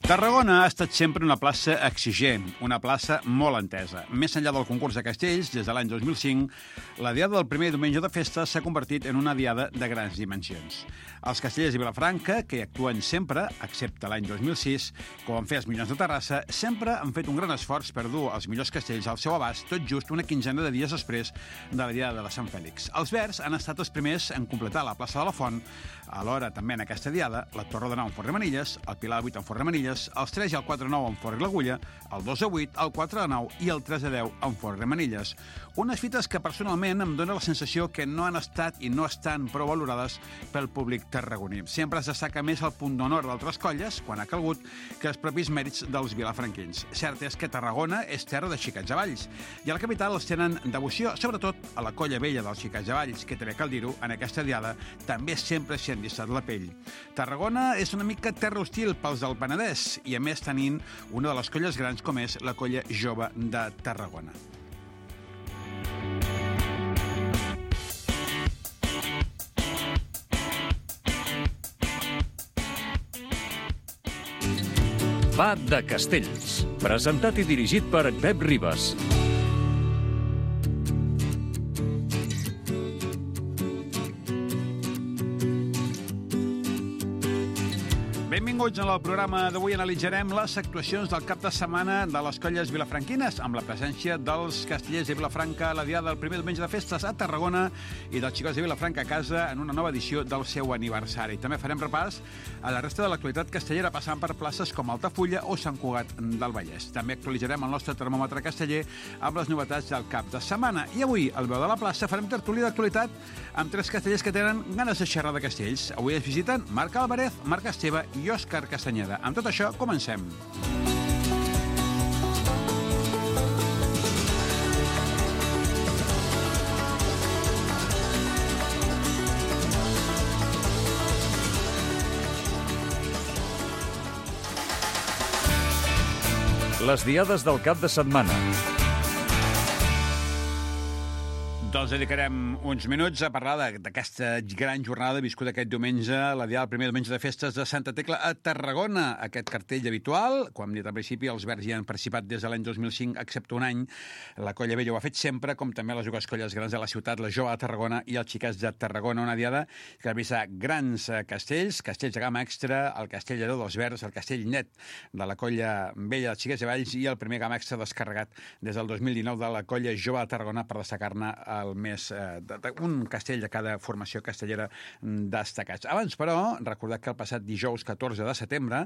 Tarragona ha estat sempre una plaça exigent, una plaça molt entesa. Més enllà del concurs de castells, des de l'any 2005, la diada del primer diumenge de festa s'ha convertit en una diada de grans dimensions. Els castellers de Vilafranca, que hi actuen sempre, excepte l'any 2006, com van fer els Minyons de Terrassa, sempre han fet un gran esforç per dur els millors castells al seu abast, tot just una quinzena de dies després de la diada de Sant Fèlix. Els Verds han estat els primers en completar la plaça de la Font, alhora també en aquesta diada, la Torre de Nou en Forn de Manilles, el Pilar de 8 en Forn de Manilles, els 3 i el 4 de 9 en Forn i l'Agulla, el 2 de 8, el 4 de 9 i el 3 de 10 en Forn de Manilles. Unes fites que personalment em dóna la sensació que no han estat i no estan prou valorades pel públic tarragoní. Sempre es destaca més el punt d'honor d'altres colles, quan ha calgut, que els propis mèrits dels vilafranquins. Cert és que Tarragona és terra de xiquets de Valls, i a la capital els tenen devoció, sobretot a la colla vella dels xiquets de Valls, que també cal dir-ho, en aquesta diada també sempre s'hi han llistat la pell. Tarragona és una mica terra hostil pels del Penedès, i a més tenint una de les colles grans com és la colla jove de Tarragona. Va de Castells, presentat i dirigit per Pep Ribas. Benvinguts al programa d'avui. Analitzarem les actuacions del cap de setmana de les colles vilafranquines, amb la presència dels castellers de Vilafranca a la diada del primer diumenge de festes a Tarragona i dels xicots de Vilafranca a casa en una nova edició del seu aniversari. També farem repàs a la resta de l'actualitat castellera, passant per places com Altafulla o Sant Cugat del Vallès. També actualitzarem el nostre termòmetre casteller amb les novetats del cap de setmana. I avui, al Veu de la Plaça, farem tertúlia d'actualitat amb 3 castellers que tenen ganes de xerrar de castells. Avui ens visiten Marc Álvarez, Marc Esteve i Òscar Castanyeda. Amb tot això, comencem. Les diades del cap de setmana. Doncs dedicarem uns minuts a parlar d'aquesta gran jornada viscuda aquest diumenge, la diada del primer diumenge de festes de Santa Tecla a Tarragona. Aquest cartell habitual, com hem dit al principi, els Verds hi han participat des de l'any 2005, excepte un any. La Colla Vella ho ha fet sempre, com també les dues colles grans de la ciutat, la Jove de Tarragona i els Xiquets de Tarragona. Una diada que ha vist grans castells de gamma extra, el castell de dels Verds, el castell net de la Colla Vella dels Xiquets de Valls i el primer gamma extra descarregat des del 2019 de la Colla Jove de Tarragona per destacar-ne un castell de cada formació castellera destacats. Abans, però, recordar que el passat dijous 14 de setembre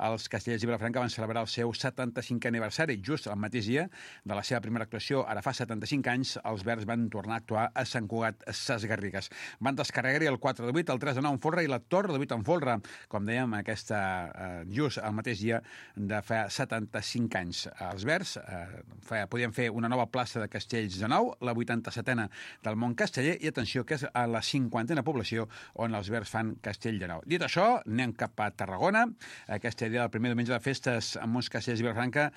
els castellers de Vilafranca van celebrar el seu 75è aniversari. Just el mateix dia de la seva primera actuació, ara fa 75 anys, els Verds van tornar a actuar a Sant Cugat Sesgarrigues. Van descarregar-hi el 4 de 8, el 3 de 9 en folre i la Torre de 8 en folre, com dèiem, just el mateix dia de fa 75 anys. Els Verds podien fer una nova plaça de castells de nou, la 87a del món casteller, i atenció, que és a la 50a població on els Verds fan castell de nou. Dit això, anem cap a Tarragona, aquesta idea del primer diumenge de festes amb uns castells de Vilafranca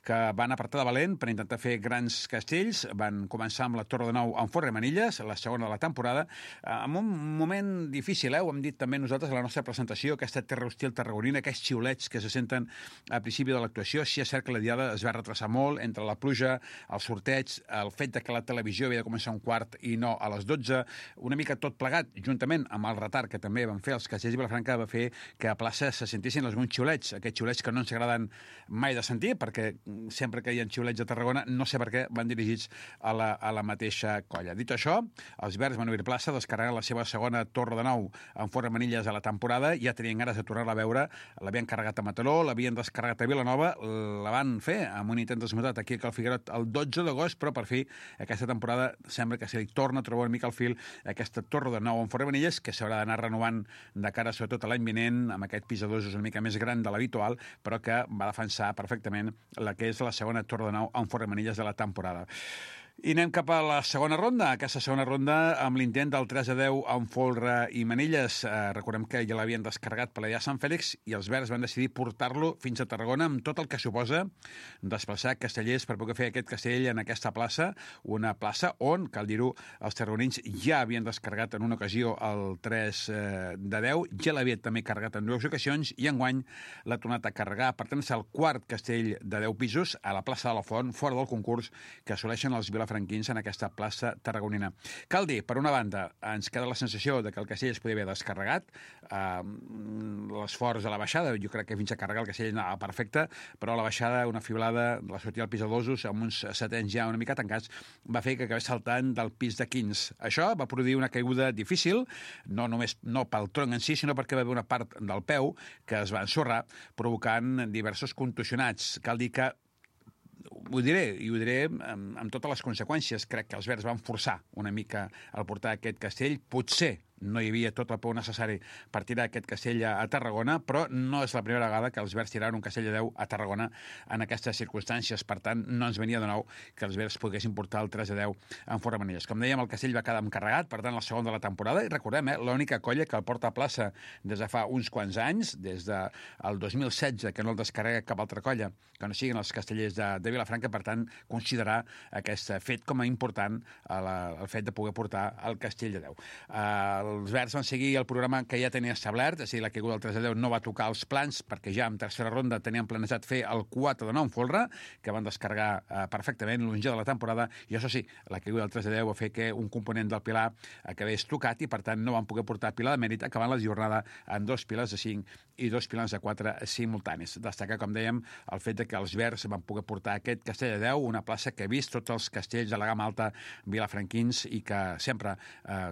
que van apretar de valent per intentar fer grans castells. Van començar amb la Torre de Nou en Forn de Manilles, la segona de la temporada, amb un moment difícil, ho hem dit també nosaltres a la nostra presentació, aquesta terra hostil tarragonina, aquests xiulets que se senten al principi de l'actuació. Sí, és cert que la diada es va retrasar molt entre la pluja, el sorteig, el fet de que la televisió havia de començar un quart i no a les 12, una mica tot plegat, juntament amb el retard que també van fer els castellers de Vilafranca, va fer que a plaça se sentissin alguns xiulets, aquests xiulets que no ens agraden mai de sentir, perquè sempre que hi ha xiulets a Tarragona, no sé per què, van dirigits a la mateixa colla. Dit això, els Verds van obrir plaça, descarregant la seva segona Torre de Nou en Forn de Manilles a la temporada, ja tenien ganes de tornar-la a veure, l'havien carregat a Mataró, l'havien descarregat a Vilanova, la van fer amb un intent desmutat aquí a Cal Figuerot el 12 d'agost, però per fi aquesta temporada sembla que se li torna a trobar una mica al fil aquesta Torre de Nou en Forn de Manilles, que s'haurà d'anar renovant de cara sobretot a l'any vinent, amb aquest pis de dos una mica més gran de l'habitual, però que va defensar perfectament la que és la segona Torre de Nou en Forn de Manilles de la temporada. I anem cap a la segona ronda. Aquesta segona ronda amb l'intent del 3-10 amb Folra i Manilles. Recordem que ja l'havien descarregat per allà a Sant Fèlix i els verds van decidir portar-lo fins a Tarragona amb tot el que suposa desplaçar castellers per poder fer aquest castell en aquesta plaça, una plaça on, cal dir-ho, els tarragonins ja havien descarregat en una ocasió el 3-10, ja l'havien també carregat en dues ocasions i enguany l'ha tornat a carregar. Per tant, és el quart castell de 10 pisos a la plaça de la Font, fora del concurs, que assoleixen els vilafranquins en aquesta plaça tarragonina. Cal dir, per una banda, ens queda la sensació de que el castell es podia haver descarregat, l'esforç a la baixada, jo crec que fins a carregar el castell anava perfecte, però a la baixada, una fiblada, la sortida al pis de dosos, amb uns setens ja una mica tancats, va fer que acabés saltant del pis de 15. Això va produir una caiguda difícil, no només no pel tronc en si, sinó perquè va haver una part del peu que es va ensorrar, provocant diversos contusionats. Cal dir que ho diré amb totes les conseqüències. Crec que els verds van forçar una mica al portar aquest castell. Potser no hi havia tot el peu necessari per tirar aquest castell a Tarragona, però no és la primera vegada que els verds tiraran un castell de 10 a Tarragona en aquestes circumstàncies. Per tant, no ens venia de nou que els verds poguessin portar el 3-10 en Folra Manilles. Com dèiem, el castell va quedar encarregat, per tant, la segona de la temporada, i recordem, l'única colla que el porta a plaça des de fa uns quants anys, des del 2016, que no el descarrega cap altra colla, que no siguin els castellers de Vilafranca, per tant, considerar aquest fet com a important el fet de poder portar el castell de 10. Els verds van seguir el programa que ja tenia establert, és a dir, la caiguda del 3-10 no va tocar els plans, perquè ja en tercera ronda tenien planejat fer el 4-9 en Folra, que van descarregar perfectament l'onze de la temporada, i això sí, la caiguda del 3-10 va fer que un component del pilar acabés tocat i, per tant, no van poder portar pilar de mèrit, acabant la jornada en 2 pilars de 5 i 2 pilars de 4 simultanis. Destacar, com dèiem, el fet que els verds van poder portar aquest castell de 10, una plaça que ha vist tots els castells de la gamma alta vilafranquins i que sempre,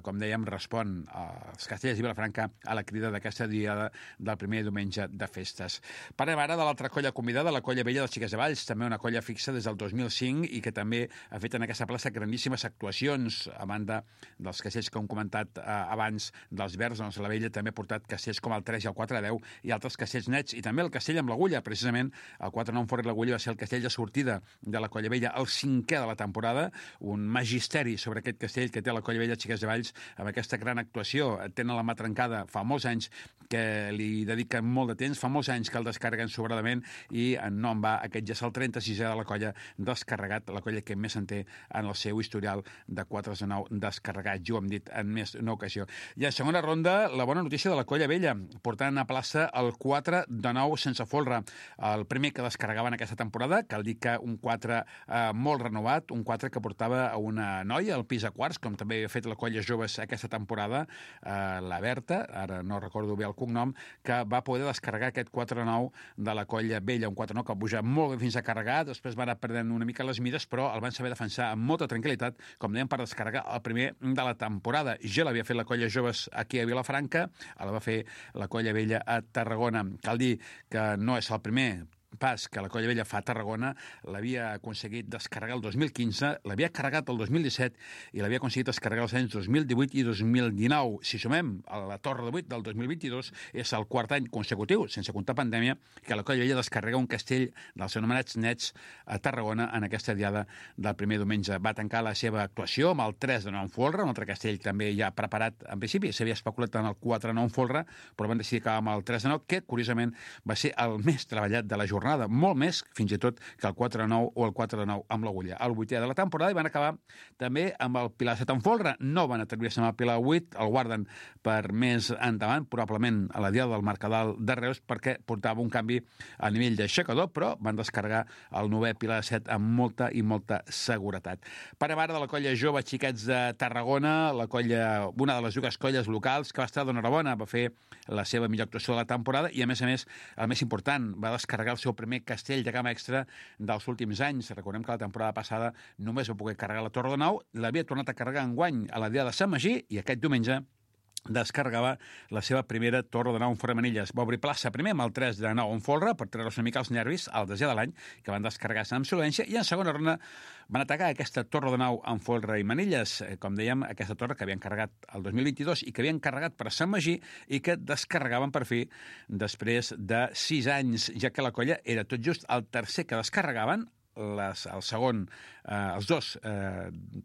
com dèiem, respon els castellers de Vilafranca a la crida d'aquesta diada del primer diumenge de festes. Parlem ara de l'altra colla convidada, la colla vella dels Xiquets de Valls, també una colla fixa des del 2005 i que també ha fet en aquesta plaça grandíssimes actuacions, a banda dels castells que hem comentat abans dels verds. Doncs la vella també ha portat castells com el 3 i el 4-10 i altres castells nets, i també el castell amb l'agulla, precisament el 4-9 en Folra i l'agulla va ser el castell de sortida de la colla vella, el 5è de la temporada, un magisteri sobre aquest castell que té la colla vella Xiquets de Valls amb aquesta gran actuació. Tenen la mà trencada fa molts anys que li dediquen molt de temps, fa molts anys que el descarreguen sobradament i no en va, aquest ja és el 36è de la colla descarregat, la colla que més en té en el seu historial de 4-9 descarregats, ja ho hem dit en més d'una ocasió. I a segona ronda, la bona notícia de la colla vella, portant a plaça el 4-9 sense folre, el primer que descarregava en aquesta temporada, cal dir que un 4 molt renovat, un 4 que portava a una noia al pis a quarts, com també havia fet la colla joves aquesta temporada, la Berta, ara no recordo bé el cognom, que va poder descarregar aquest 4-9 de la colla vella, un 4-9 que va pujar molt bé fins a carregar, després va anar perdent una mica les mides, però el van saber defensar amb molta tranquil·litat, com dèiem, per descarregar el primer de la temporada. Ja l'havia fet la colla joves aquí a Vilafranca, la va fer la colla vella a Tarragona. Cal dir que no és el primer pas que la colla vella fa a Tarragona, l'havia aconseguit descarregar el 2015, l'havia carregat el 2017 i l'havia aconseguit descarregar els anys 2018 i 2019. Si sumem a la Torre de 8 del 2022, és el quart any consecutiu, sense comptar pandèmia, que la colla vella descarrega un castell dels anomenats nets a Tarragona en aquesta diada del primer diumenge. Va tancar la seva actuació amb el 3-9 en Folra, un altre castell també ja preparat en principi, s'havia especulat en el 4-9 en Folra, però van decidir acabar amb el 3-9, que curiosament va ser el més treballat de la jornada, molt més, fins i tot, que el 4-9 o el 4-9 amb l'agulla. El 8è de la temporada, i van acabar també amb el Pilar 7 en Folra. No van atrevir-se amb el Pilar 8, el guarden per més endavant, probablement a la diada del Mercadal de Reus, perquè portava un canvi a nivell d'aixecador, però van descarregar el 9è Pilar 7 amb molta i molta seguretat. Parem ara de la colla jove Xiquets de Tarragona, la colla, una de les dues colles locals que va estar d'enhorabona, va fer la seva millor actuació de la temporada i, a més, el més important, va descarregar el seu primer castell de gamma extra dels últims anys. Recordem que la temporada passada només va poder carregar la Torre de Nou, l'havia tornat a carregar enguany a la diada de Sant Magí i aquest diumenge descarregava la seva primera Torre de 9 en Folra Manilles. Va obrir plaça primer amb el 3-9 en Folra per treure-se una mica els nervis al desè de l'any, que van descarregar-se amb solvència, i en segona ronda van atacar aquesta Torre de 9 en Folra i Manilles. Com dèiem, aquesta torre que havien carregat el 2022 i que havien carregat per Sant Magí i que descarregaven per fi després de 6 anys, ja que la colla era tot just el tercer que descarregaven el segon, els dos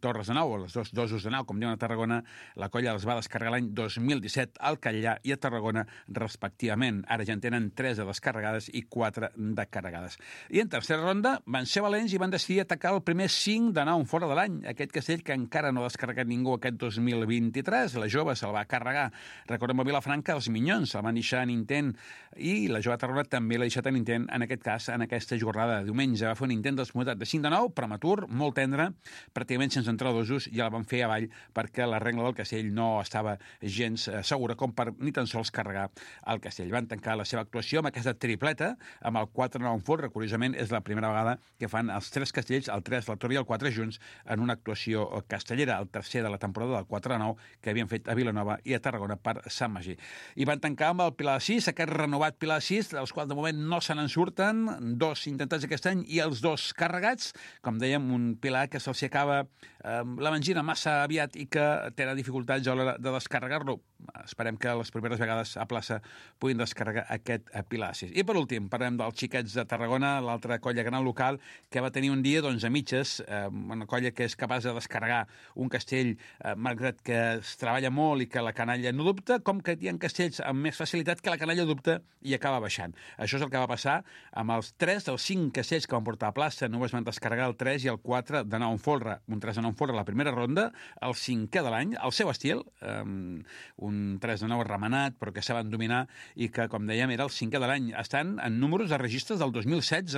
torres de nau, o els dos dosos de nau, com diuen a Tarragona, la colla els va descarregar l'any 2017 al Catllà i a Tarragona, respectivament. Ara ja en tenen 3 de descarregades i 4 de carregades. I en tercera ronda van ser valents i van decidir atacar el primer 5 de nau fora de l'any, aquest castell que encara no ha descarregat ningú aquest 2023. La jove se'l va carregar. Recordem a Vilafranca, els Minyons se'l van deixar en intent i la jove Tarragona també l'ha deixat en intent, en aquest cas, en aquesta jornada de diumenge. Va fer un intent desmutat de 5 de 9, prematur, molt tendre, pràcticament sense entrar dosos, i la van fer avall perquè la regla del castell no estava gens segura com per ni tan sols carregar el castell. Van tancar la seva actuació amb aquesta tripleta, amb el 4-9 en folre. Curiosament, és la primera vegada que fan els 3 castells, el 3, la torre i el 4 junts, en una actuació castellera, el tercer de la temporada del 4-9 que havien fet a Vilanova i a Tarragona per Sant Magí. I van tancar amb el Pilar de 6, aquest renovat Pilar de 6, dels quals de moment no se n'en surten, 2 intentats aquest any i els 2 carregats. Com dèiem, un Pilar que se'ls acaba la mangina massa aviat i que tenen dificultats a l'hora de descarregar-lo. Esperem que les primeres vegades a plaça puguin descarregar aquest Pilar 6. I per últim, parlem dels xiquets de Tarragona, l'altra colla gran local, que va tenir un dia a mitges, una colla que és capaç de descarregar un castell, malgrat que es treballa molt i que la canalla no dubta, com que hi ha castells amb més facilitat que la canalla dubta i acaba baixant. Això és el que va passar amb els 3 dels 5 castells que van portar a plaça. Només van descarregar el 3 i el 4 de 9 en folre. Un 3 de 9 en folre a la primera ronda, el 5è de l'any, el seu estil, un 3 de 9 remenat, però que saben dominar i que, com dèiem, era el 5è de l'any. Estan en números de registres del 2016.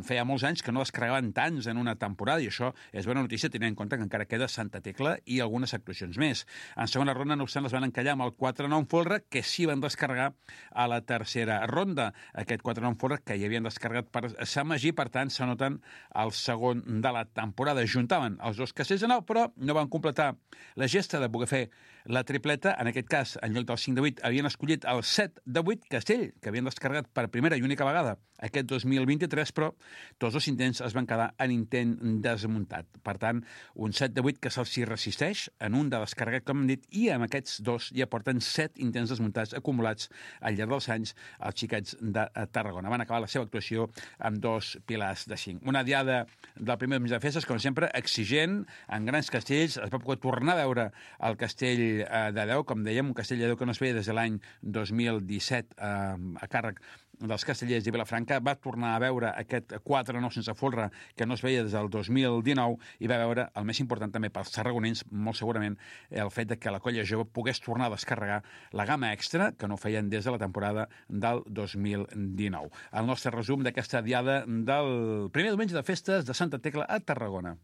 Feia molts anys que no descarregaven tants en una temporada i això és bona notícia, tenint en compte que encara queda Santa Tecla i algunes actuacions més. En segona ronda, no obstant, les van encallar amb el 4-9 en folre, que sí van descarregar a la tercera ronda. Aquest 4-9 en folre que hi havien descarregat per Sant Magí, per tant, s'anoten el segon de la temporada. Juntaven els 2 castells de 9, però no van completar la gesta de poder fer la tripleta. En aquest cas, en lloc del 5 de 8, havien escollit el 7 de 8 castell, que havien descarregat per primera i única vegada aquest 2023, però tots els intents es van quedar en intent desmuntat. Per tant, un 7 de 8 que se'ls resisteix en un de descarregat, com hem dit, i amb aquests 2 ja porten 7 intents desmuntats acumulats al llarg dels anys els xiquets de Tarragona. Van acabar la seva actuació amb 2 pilars de 5. Una diada del primer diumenge de festes, com sempre, exigent, en grans castells. Es va poder tornar a veure el castell de Déu, com dèiem, un castell de Déu que no es veia des de l'any 2017 a càrrec dels castellers de Vilafranca. Va tornar a veure aquest 4-9 sense folre que no es veia des del 2019 i va veure, el més important també pels tarragonins, molt segurament, el fet de que la colla jove pogués tornar a descarregar la gamma extra que no feien des de la temporada del 2019. El nostre resum d'aquesta diada del primer diumenge de festes de Santa Tecla a Tarragona.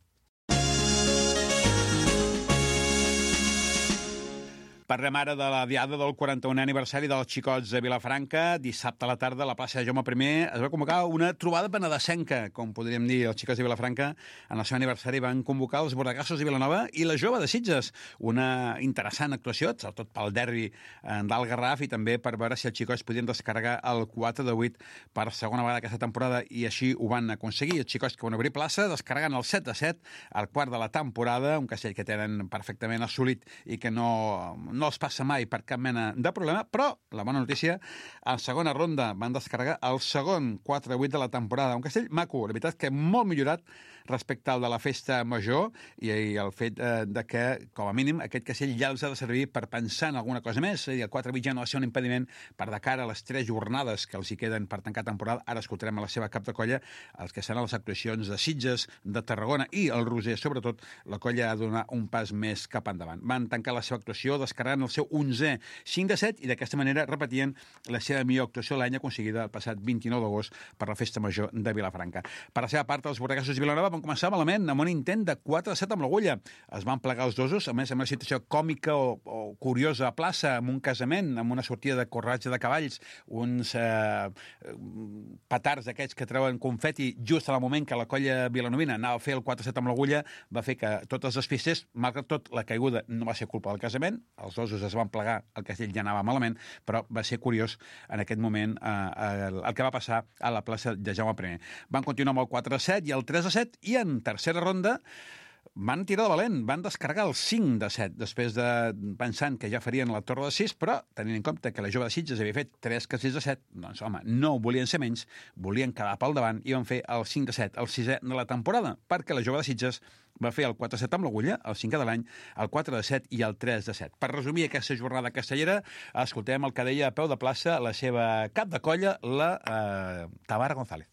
Parlem ara de la diada del 41è aniversari dels Xicots de Vilafranca. Dissabte a la tarda, a la plaça de Jaume I, es va convocar una trobada penedesenca, com podríem dir. Els Xicots de Vilafranca, en el seu aniversari, van convocar els Bordegassos de Vilanova i la Jove de Sitges. Una interessant actuació, sobretot pel derbi del Garraf i també per veure si els Xicots podien descarregar el 4 de 8 per segona vegada aquesta temporada, i així ho van aconseguir. Els Xicots que van obrir plaça, descarregant el 7 de 7, el quart de la temporada, un castell que tenen perfectament assolit i que no els passa mai per cap mena de problema, però la bona notícia, en segona ronda van descarregar el segon 4-8 de la temporada. Un castell maco, la veritat que molt millorat respecte al de la festa major, i el fet de que, com a mínim, aquest castell ja els ha de servir per pensar en alguna cosa més. És a dir, el 4-8 ja no ha de ser un impediment per de cara a les 3 jornades que els hi queden per tancar temporada. Ara escoltarem a la seva cap de colla els que seran les actuacions de Sitges, de Tarragona i el Roser, sobretot. La colla ha de donar un pas més cap endavant. Van tancar la seva actuació descarregant el seu 11è 5 de 7 i d'aquesta manera repetien la seva millor actuació l'any aconseguida el passat 29 d'agost per la festa major de Vilafranca. Per la seva part, els Bordegassos de Vilanova van començar malament amb un intent de 4 de 7 amb l'agulla. Es van plegar els dosos, a més amb una situació còmica o curiosa a plaça, amb un casament, amb una sortida de corratge de cavalls, uns petards d'aquests que treuen confeti just al moment que la colla vilanovina anava a fer el 4-7 amb l'agulla, va fer que tot es despistés. Malgrat tot, la caiguda no va ser culpa del casament, els dosos es van plegar, el castell ja anava malament, però va ser curiós en aquest moment el que va passar a la plaça de Jaume I. Van continuar amb el 4-7 i el 3-7 i en tercera ronda Van tirar de valent, van descarregar el 5 de 7, després de pensant que ja farien la torre de 6, però tenint en compte que la Jove de Sitges havia fet 3 castells de 7, doncs, home, no volien ser menys, volien quedar pel davant i van fer el 5 de 7, el 6è de la temporada, perquè la Jove de Sitges va fer el 4 de 7 amb l'agulla, el 5è de l'any, el 4 de 7 i el 3 de 7. Per resumir aquesta jornada castellera, escoltem el que deia a peu de plaça la seva cap de colla, la Tamara González.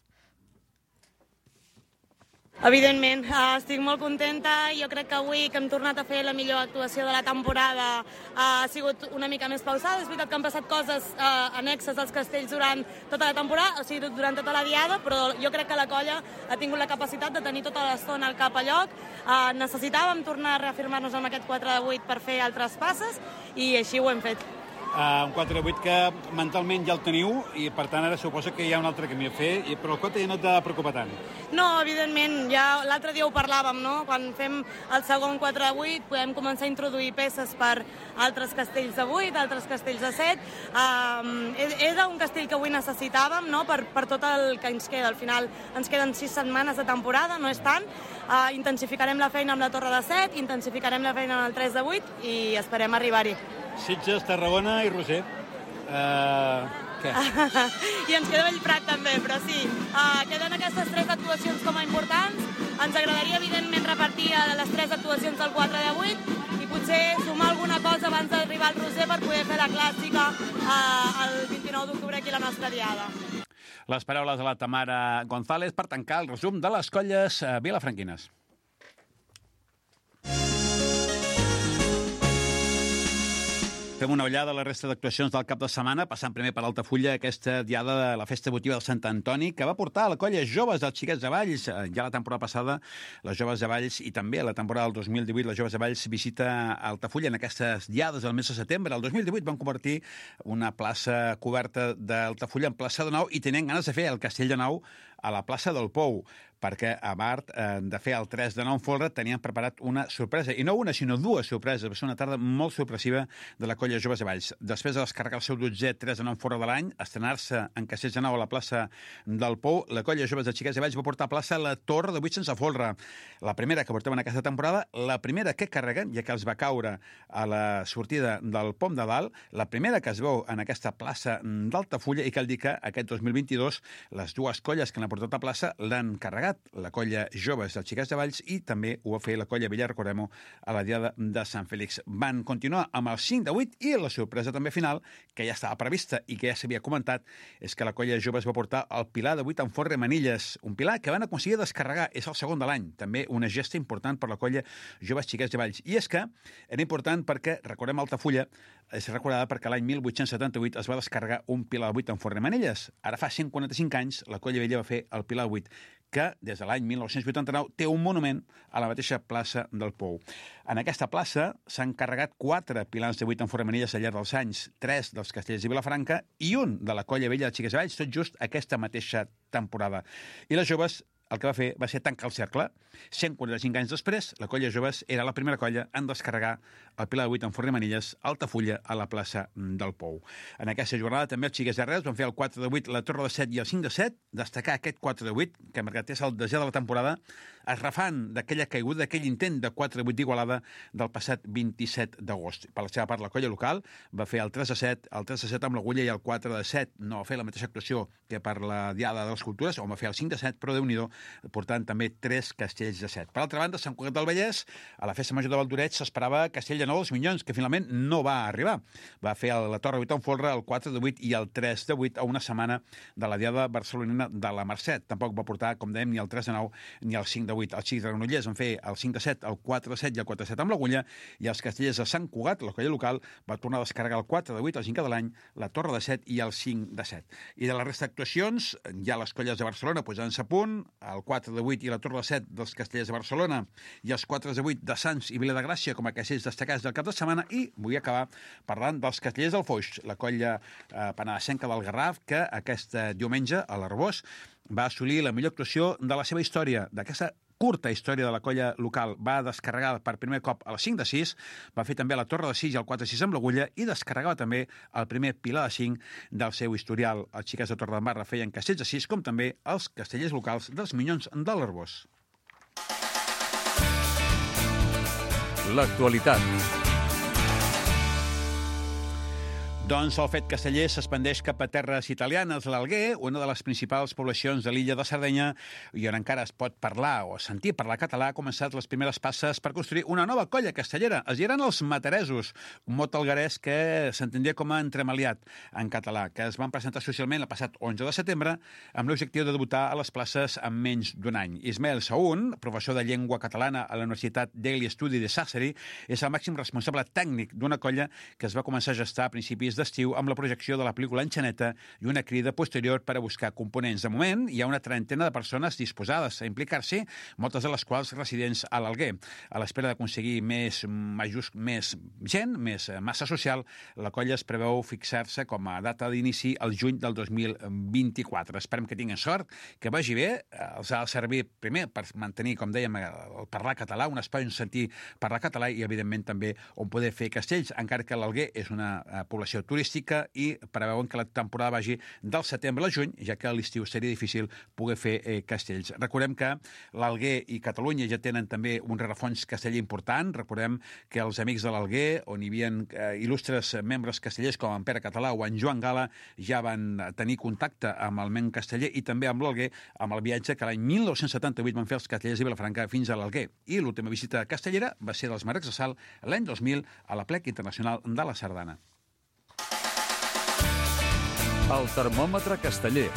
Evidentment, estic molt contenta. Jo crec que avui que hem tornat a fer la millor actuació de la temporada ha sigut una mica més pausada. És veritat que han passat coses annexes als castells durant tota la temporada, o sigui, durant tota la diada, però jo crec que la colla ha tingut la capacitat de tenir tota l'estona al cap a lloc. Necessitàvem tornar a reafirmar-nos amb aquest 4 de 8 per fer altres passes i així ho hem fet. Un 4 de 8 que mentalment ja el teniu i per tant ara suposo que hi ha un altre camí a fer, però el Cota ja no t'ha de preocupar tant. No, evidentment, ja l'altre dia ho parlàvem, no? Quan fem el segon 4 de 8 podem començar a introduir peces per altres castells de 8, altres castells de 7. Era un castell que avui necessitàvem, no? Per tot el que ens queda. Al final ens queden 6 setmanes de temporada, no és tant. Intensificarem la feina amb la torre de 7, intensificarem la feina amb el 3 de 8 i esperem arribar-hi. Sitges, Tarragona i Roser. Què? I ens queda Bellprat també, però sí. Queden aquestes 3 actuacions com a importants. Ens agradaria, evidentment, repartir les 3 actuacions del 4 de 8 i potser sumar alguna cosa abans d'arribar al Roser per poder fer la clàssica el 29 d'octubre aquí a la nostra diada. Les paraules de la Tamara González per tancar el resum de les colles vilafranquines. Fem una ullada a la resta d'actuacions del cap de setmana, passant primer per Altafulla, aquesta diada de la festa votiva del Sant Antoni, que va portar a la colla joves dels Xiquets de Valls. Ja la temporada passada, les joves de Valls, i també a la temporada del 2018, les joves de Valls visita Altafulla en aquestes diades del mes de setembre. El 2018 van convertir una plaça coberta d'Altafulla en plaça de Nou i tenien ganes de fer el Castell de Nou a la plaça del Pou, perquè a part de fer el 3 de 9 folre tenien preparat una sorpresa, i no una, sinó 2 sorpreses. Va ser una tarda molt sorpressiva de la colla Joves de Valls. Després de descarregar el seu 12è 3 de 9 folre de l'any, estrenar-se en Castells de Nou a la plaça del Pou, la colla Joves de Xiquets de Valls va portar a plaça la torre de 8 sense folre. La primera que portaven aquesta temporada, la primera que carreguen, ja que els va caure a la sortida del Pom de Dalt, la primera que es veu en aquesta plaça d'Altafulla, i cal dir que aquest 2022 les 2 colles que l'han portat a plaça l'han carregat, la colla Joves dels Xiquets de Valls i també ho va fer la colla Villar Coremo a la diada de Sant Fèlix. Van continuar amb el 5 de 8 i la sorpresa també final, que ja estava prevista i que ja s'havia comentat, és que la colla Joves va portar el pilar de 8 en forre Manilles, un pilar que van aconseguir descarregar, és el segon de l'any, també una gesta important per la colla Joves Xiquets de Valls. I és que era important perquè, recordem, Altafulla és recordada perquè l'any 1878 es va descarregar un pilar de 8 en forre Manilles. Ara fa 145 anys la colla Vella va fer el pilar de 8, que des de l'any 1989 té un monument a la mateixa plaça del Pou. En aquesta plaça s'han carregat 4 pilars de 8 en forre Manilles al llarg dels anys, 3 dels Castells de Vilafranca i un de la colla Vella de Xiquets de Valls, tot just aquesta mateixa temporada. I les joves el que va fer va ser tancar el cercle. 145 anys després, la colla Joves era la primera colla en descarregar el pilar de 8 en forre Manilles a Altafulla, a la plaça del Pou. En aquesta jornada també els Xiquets de Reus van fer el 4 de 8, la torre de 7 i el 5 de 7, destacar aquest 4 de 8, que marcat és el 10è de la temporada, es refan d'aquella caiguda, d'aquell intent de 4 de 8 d'Igualada del passat 27 d'agost. Per la seva part, la colla local va fer el 3 de 7, el 3 de 7 amb l'agulla i el 4 de 7. No va fer la mateixa actuació que per la diada de les cultures, on va fer el 5 de 7, però Déu-n'hi-do, portant també 3 castells de 7. Per altra banda, Sant Cugat del Vallès, a la festa major de Valdoreig, s'esperava Castell de Nou dels Minyons, que finalment no va arribar. Va fer la torre 8 en folre, el 4 de 8 i el 3 de 8 a una setmana de la diada barcelonina de la Mercè. Tampoc va portar, com dèiem, ni el 3 de 9 ni el 5 de 8. Els Xics de Granollers van fer el 5 de 7, el 4 de 7 i el 4 de 7 amb l'agulla, i els castellers de Sant Cugat, la colla local, va tornar a descarregar el 4 de 8, el 5 de l'any, la torre de 7 i el 5 de 7. I de la resta d'actuacions, ja les colles de Barcelona posant-se a punt, el 4 de 8 i la torre de 7 dels castellers de Barcelona i els 4 de 8 de Sants i Vila de Gràcia com a castellers destacats del cap de setmana. I vull acabar parlant dels castellers del Foix, la colla penedesenca del Garraf, que aquest diumenge a l'Arbós va assolir la millor actuació de la seva història, d'aquesta curta història de la colla local. Va descarregar per primer cop el 5 de 6, va fer també la torre de 6 i el 4 de 6 amb l'agulla i descarregava també el primer pilar de 5 del seu historial. Els Xiquets de Torredembarra feien castells de 6, com també els castellers locals dels Minyons de l'Arbós. l'actualitat. Doncs el fet casteller s'expandeix cap a terres italianes. L'Alguer, una de les principals poblacions de l'illa de Sardenya, i on encara es pot parlar o sentir parlar català, ha començat les primeres passes per construir una nova colla castellera. Es diran els materesos, un mot algarès que s'entendria com a entremaliat en català, que es van presentar socialment el passat 11 de setembre amb l'objectiu de debutar a les places en menys d'un any. Ismael Saún, professor de llengua catalana a la Universitat Daily Study de Sassari, és el màxim responsable tècnic d'una colla que es va començar a gestar a principis d'estiu amb la projecció de la pel·lícula Enxaneta i una crida posterior per a buscar components. De moment, hi ha una trentena de persones disposades a implicar-s'hi, moltes de les quals residents a l'Alguer. A l'espera d'aconseguir més gent, més massa social, la colla es preveu fixar-se com a data d'inici el juny del 2024. Esperem que tinguin sort, que vagi bé. Els ha de servir, primer, per mantenir, com dèiem, el parlar català, un espai on sentir parlar català i, evidentment, també on poder fer castells, encara que l'Alguer és una població turística i preveuen que la temporada vagi del setembre al juny, ja que a l'estiu seria difícil poder fer castells. Recordem que l'Alguer i Catalunya ja tenen també un rerefons casteller important. Recordem que els amics de l'Alguer, on hi havia il·lustres membres castellers com en Pere Català o en Joan Gala, ja van tenir contacte amb el ment casteller i també amb l'Alguer, amb el viatge que l'any 1978 van fer els castellers de Vilafranca fins a l'Alguer. I l'última visita castellera va ser dels Marcs de Sal l'any 2000 a la Plec Internacional de la Sardana. El termòmetre casteller.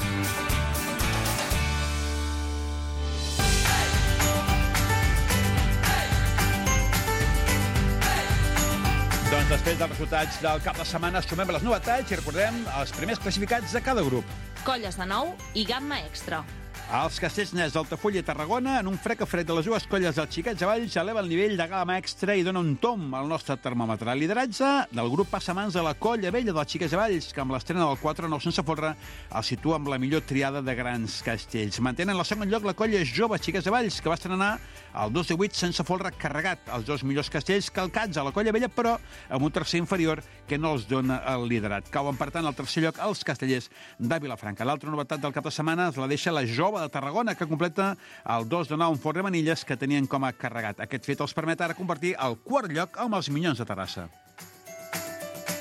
Doncs després dels resultats del cap de setmana sumem les novetats i recordem els primers classificats de cada grup. Colles de nou i gamma extra. Els castells nets d'Altafulla i Tarragona, en un frec a fred de les dues colles dels Xiquets Avalls, eleva el nivell de gamma extra i dona un tom al nostre termòmetre. El lideratge del grup passa a mans de la colla vella dels Xiquets Avalls, que amb l'estrena del 4-9 sense folre el situa amb la millor triada de grans castells. Mantenen en el segon lloc la colla jove Xiquets Avalls, que va estrenar el 2-8 sense folre carregat. Els dos millors castells calcats a la colla vella, però amb un tercer inferior que no els dona el liderat. Cauen, per tant, al tercer lloc els castellers de Vilafranca. L'altra novetat del cap de setmana es la deixa la jove de Tarragona, que completa el 2-9 en Fort de Manilles, que tenien com a carregat. Aquest fet els permet ara convertir el quart lloc amb els Minyons de Terrassa.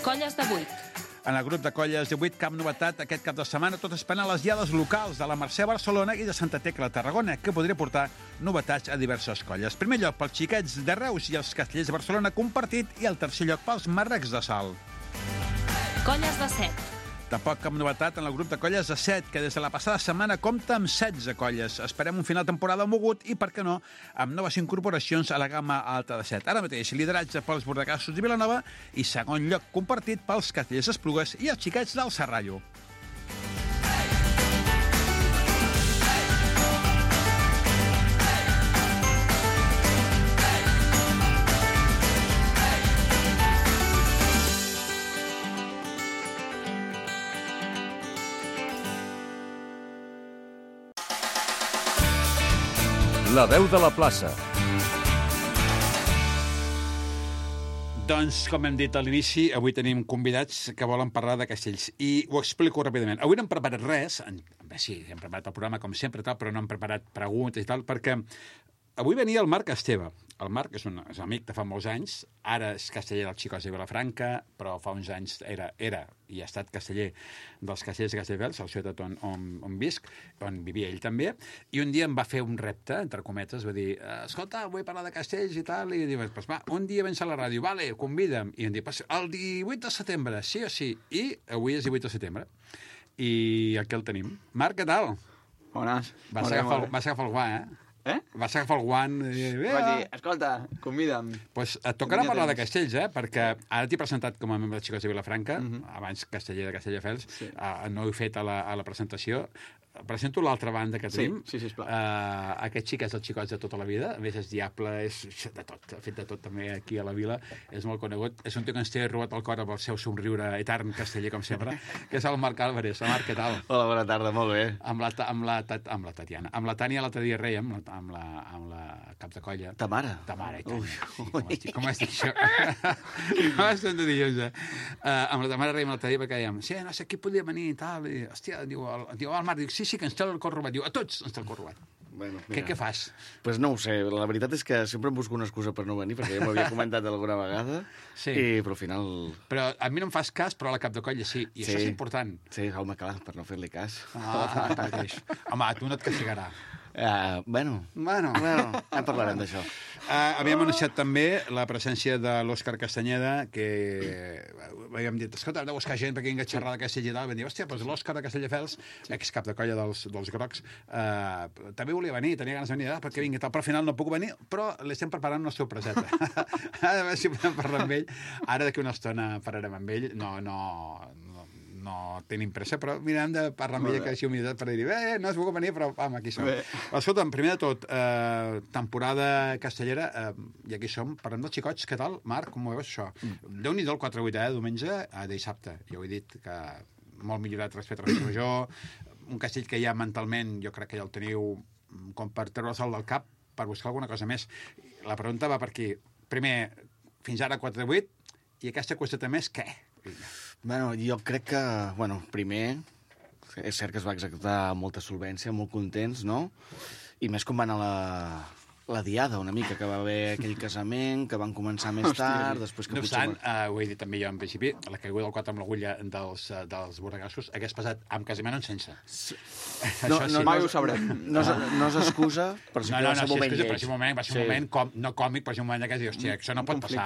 Colles de 8. En el grup de colles de 8, cap novetat aquest cap de setmana, tot esperant les diades locals de la Mercè a Barcelona i de Santa Tecla a Tarragona, que podria portar novetats a diverses colles. Primer lloc pels Xiquets de Reus i els Castellers de Barcelona compartit, i el tercer lloc pels Marrecs de Sal. Colles de 7. Tampoc cap novetat en el grup de colles de 7, que des de la passada setmana compta amb 16 colles. Esperem un final de temporada mogut i, per què no, amb noves incorporacions a la gamma alta de 7. Ara mateix, lideratge pels Bordegassos de Vilanova i segon lloc compartit pels Castellers d'Esplugues i els Xiquets del Serrallo. La veu de la plaça. Doncs, com hem dit a l'inici, avui tenim convidats que volen parlar de castells. I ho explico ràpidament. Avui no hem preparat res. Sí, hem preparat el programa com sempre, però no hem preparat preguntes i tal, perquè avui venia el Marc Esteve. El Marc és un amic de fa molts anys, ara és casteller dels Xicots de Vilafranca, però fa uns anys era i ha estat casteller dels Castellers de Castelldefels, a la ciutat on visc, on vivia ell també, i un dia em va fer un repte, entre cometes, va dir, escolta, vull parlar de castells i tal, i diu, pues va, un dia vens a la ràdio, vale, convida'm, i em diu, el 18 de setembre, sí o sí, i avui és 18 de setembre, i aquí el tenim. Marc, què tal? Bones. Vas agafar el guant, Vas agafar el guant i... Vaig dir, escolta, convida'm. Pues et tocarà parlar de castells, perquè ara t'he presentat com a membre de Xicots de Vilafranca, abans casteller de Castelldefels, no ho he fet a la presentació. Presento l'altra banda que tenim. Sí, sisplau. Aquest xic és el Xicots de tota la vida, a més és diable, és de tot, ha fet de tot també aquí a la vila, és molt conegut, és un tio que ens té robat el cor amb el seu somriure etern casteller, com sempre, que és el Marc Álvarez. Marc, què tal? Hola, bona tarda, molt bé. Amb la Tatiana. Amb la Tània l'altre dia rèiem, amb la cap de colla. Ta mare? Ta mare, i tant. Com has dit això? Com has dit això? Amb la ta mare rèiem l'altre dia perquè dèiem, sí, no sé qui podia venir i tal, i, hòstia, diu el Marc, diu, sí, que ens té el cor robat. Diu, a tots ens té el cor robat. Bueno, Què fas? Pues no ho sé, la veritat és que sempre em busco una excusa per no venir, perquè ja m'ho havia comentat alguna vegada, Sí. però al final... Però a mi no em fas cas, però a la cap de colla sí. I això és important. Sí, home, clar, per no fer-li cas. Home, a tu no et castigarà. Bueno, ja parlarem d'això. Havíem anunciat també la presència de l'Òscar Castanyeda, que havíem dit, escolta, hem de buscar gent perquè vingui a xerrar de Castell i tal. Vam dir, hòstia, doncs l'Òscar de Castelldefels, excap de colla dels grocs, també volia venir, tenia ganes de venir, perquè vingui tal, però al final no puc venir, però li estem preparant una sorpreseta. A veure si podem parlar amb ell. Ara d'aquí una estona parlarem amb ell. No tenim pressa, però mirem de parlar amb ella que així humilitat per dir, no has volgut venir, però aquí som. Escolta'm, primer de tot, temporada castellera, i aquí som, parlem dels xicots, què tal? Marc, com ho veus, això? Déu-n'hi-do el 4-8, diumenge a dissabte. Jo ho he dit que molt millorat respecte a la major, un castell que ja mentalment jo crec que ja el teniu com per treure el sol del cap, per buscar alguna cosa més. La pregunta va per aquí. Primer, fins ara 4-8, i aquesta qüestió més, què? Bueno, jo crec que, primer, és cert que es va executar amb molta solvència, molt contents, no? I més com van a la diada, una mica, que va haver aquell casament, que van començar més tard, després que no obstant, ho he dit també jo en principi, la caiguda del 4 amb l'agulla dels borregassos hagués passat amb casament o sense. Mai ho sabrem. No s'excusa, però sí que va ser un moment lleig. Va ser un moment no còmic, però va ser un moment que dius, hòstia, això no pot passar.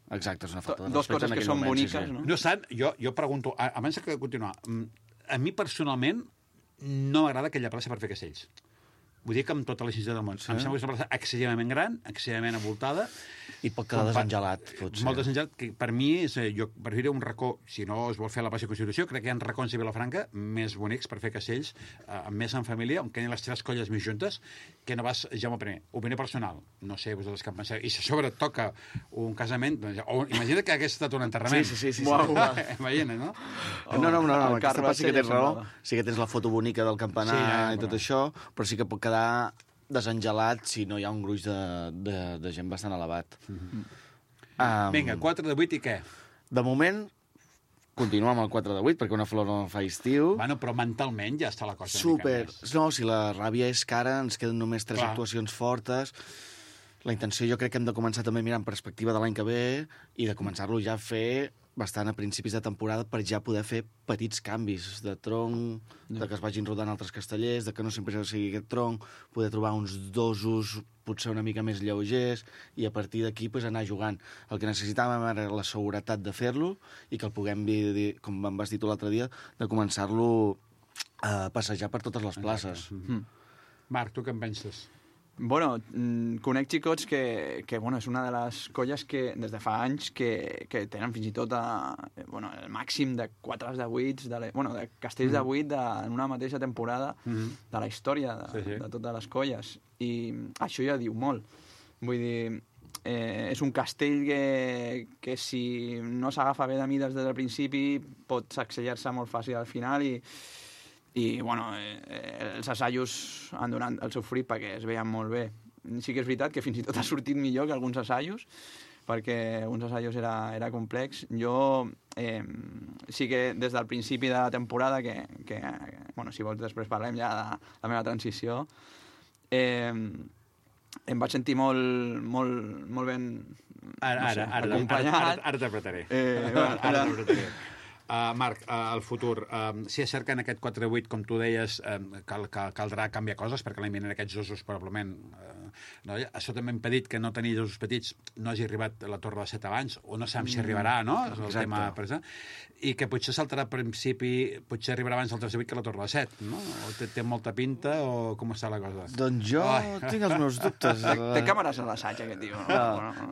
Exacte, és una falta de respecte. Dos coses que són boniques, no? No obstant, jo pregunto, abans de continuar, a mi personalment no m'agrada aquella plaça per fer castells. Vull dir que amb tota la sinceritat del món. Sí. Em sembla que és una plaça excessivament gran, excessivament avoltada. I pot quedar desengelat, potser. Molt desengelat, que per mi és, jo preferiria un racó, si no es vol fer la plaça de Constitució, crec que hi ha racons a Vilafranca més bonics per fer castells, més en família, on queden les tres colles més juntes, que no vas, Jaume I. Opinió personal, no sé, vosaltres què en penseu. I si a sobre toca un casament, doncs, imagina't que hagués estat un enterrament. Sí. Imagina't, no? No, aquesta part sí que tens raó, sí que tens la foto bonica del campanar i tot això, però sí que pot quedar desengelat si no hi ha un gruix de gent bastant elevat. Vinga, 4-8 i què? De moment, continuar amb el 4-8, perquè una flor no fa estiu. Bueno, però mentalment ja està la cosa. Super. No, si la ràbia és cara, ens queden només 3 actuacions fortes. La intenció jo crec que hem de començar també a mirar en perspectiva de l'any que ve i de començar-lo ja a fer bastant a principis de temporada per ja poder fer petits canvis de tronc, de que es vagin rodant altres castellers, de que no sempre sigui aquest tronc, poder trobar uns dosos potser una mica més lleugers i a partir d'aquí anar jugant. El que necessitàvem era la seguretat de fer-lo i que el puguem, com em vas dir tu l'altre dia, de començar-lo a passejar per totes les places. Marc, tu què en penses? Bueno, conec xicots que és una de les colles que des de fa anys que tenen fins i tot el màxim de 4 de 8, de castells de 8 en una mateixa temporada de la història de totes les colles. I això ja diu molt. Vull dir, és un castell que si no s'agafa bé de mides des del principi pot sacsellar-se molt fàcil al final i els assajos han donat el seu fruit perquè es veien molt bé. Sí que és veritat que fins i tot ha sortit millor que alguns assajos, perquè uns assajos era complex. Jo sí que des del principi de la temporada, si vols després parlem ja de la meva transició, em vaig sentir molt ben acompanyat. Ara t'apretaré. Marc, el futur. Si és cert que en aquest 4-8, com tu deies, caldrà canviar coses, perquè l'any vinent aquests osos probablement... Això també ha impedit que no tenir osos petits no hagi arribat a la Torre de 7 abans, o no sabem si arribarà, no? És el tema present. I que potser saltarà al principi, potser arribarà abans el 3-8 que la Torre de 7, no? O té molta pinta, o com està la cosa? Doncs jo tinc els meus dubtes. Té càmeres a l'assaig, aquest tio.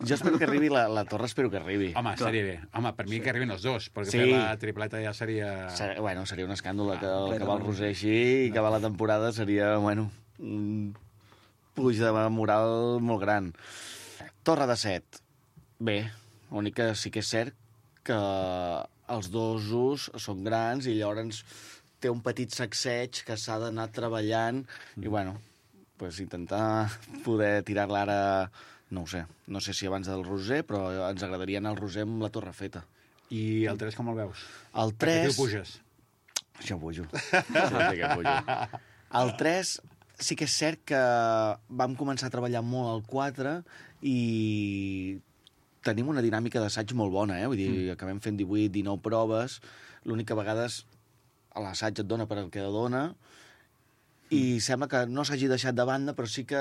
Jo espero que arribi, la Torre espero que arribi. Home, seria bé. Home, per mi que arribin els dos, perquè fer la tripleta ja seria... Bueno, seria un escàndol que el Cabal Roser així i acabar la temporada seria, un puig de moral molt gran. Torre de 7. Bé, l'únic que sí que és cert que els dosos són grans i llavors té un petit sacseig que s'ha d'anar treballant i, intentar poder tirar-la ara, no ho sé. No sé si abans del Roser, però ens agradaria anar al Roser amb la torre feta. I el 3 com el veus? El 3... Perquè tu puges. Jo pujo. El 3 sí que és cert que vam començar a treballar molt al 4 i tenim una dinàmica d'assaig molt bona, Vull dir, acabem fent 18-19 proves, l'única vegades a l'assaig et dona per el que dona, i sembla que no s'hagi deixat de banda, però sí que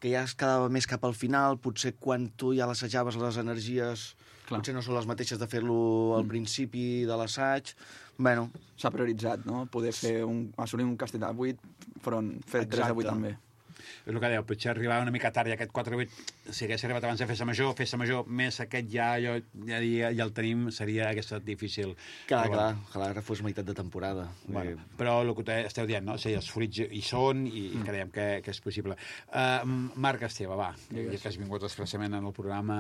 ja es quedava més cap al final, potser quan tu ja l'assajaves les energies potser no són les mateixes de fer-lo al principi de l'assaig. Bueno, s'ha prioritzat, no? Poder assolir un castell de 8 fer 3 de 8 també. És el que dèieu, potser arribava una mica tard i aquest 4-8, si hagués arribat abans de festa major, més aquest ja el tenim, hagués estat difícil. Clar, ojalà fos meitat de temporada. Bueno, però el que esteu dient, no? O sigui, els fruits hi són i creiem que és possible. Marc Esteve, va, ja que has vingut expressament en el programa,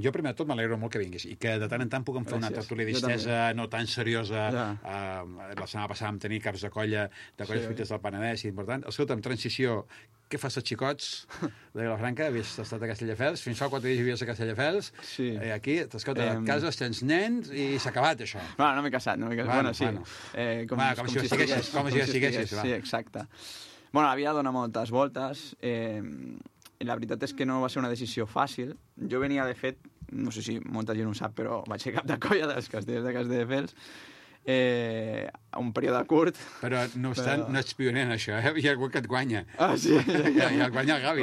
jo primer de tot m'alegro molt que vinguis i que de tant en tant puguem fer una tertúlia distesa no tan seriosa. La setmana passada vam tenir caps de colla fruites del Penedès i important. Escolta'm, transició, què fas als xicots de Vilafranca? Havies estat a Castelldefels, fins fa 4 dies vivies a Castelldefels, aquí, t'escolta, et cases, tens nens i s'ha acabat, això. No m'he casat, Bueno, sí. Com si ja siguessis. Sí, exacte. Bueno, la vida dona moltes voltes, i la veritat és que no va ser una decisió fàcil. Jo venia, de fet, no sé si molta gent ho sap, però vaig ser cap de colla dels castells de Castelldefels, un període curt. Però no ets pioner en això, Hi ha algú que et guanya. Ah, sí? I el guanya el Gavi.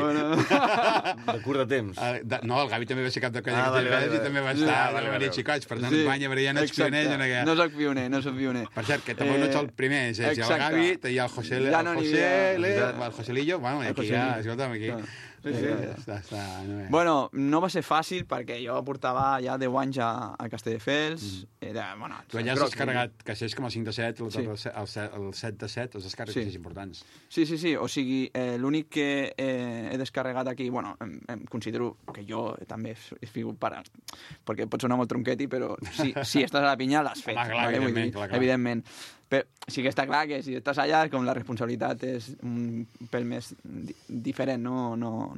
De curt de temps. No, el Gavi també va ser cap de colla i també va estar a venir xicots, per tant et guanya, però ja no ets pioner. No soc pioner. Per cert, que tampoc no ets el primer, és el Gavi, hi ha el Joselillo, bueno, i aquí ja, escolta'm, aquí... Bueno, no va ser fàcil perquè jo portava ja 10 anys a Castelldefels. Tu allà has descarregat castells com el 5 de 7, el 7 de 7, els descarregues més importants. Sí, o sigui, l'únic que he descarregat aquí, bueno, em considero que jo també he figut perquè pot sonar molt tronqueti, però si estàs a la pinya l'has fet. Evidentment. Però sí que està clar que si estàs allà, com la responsabilitat és un pèl més diferent, no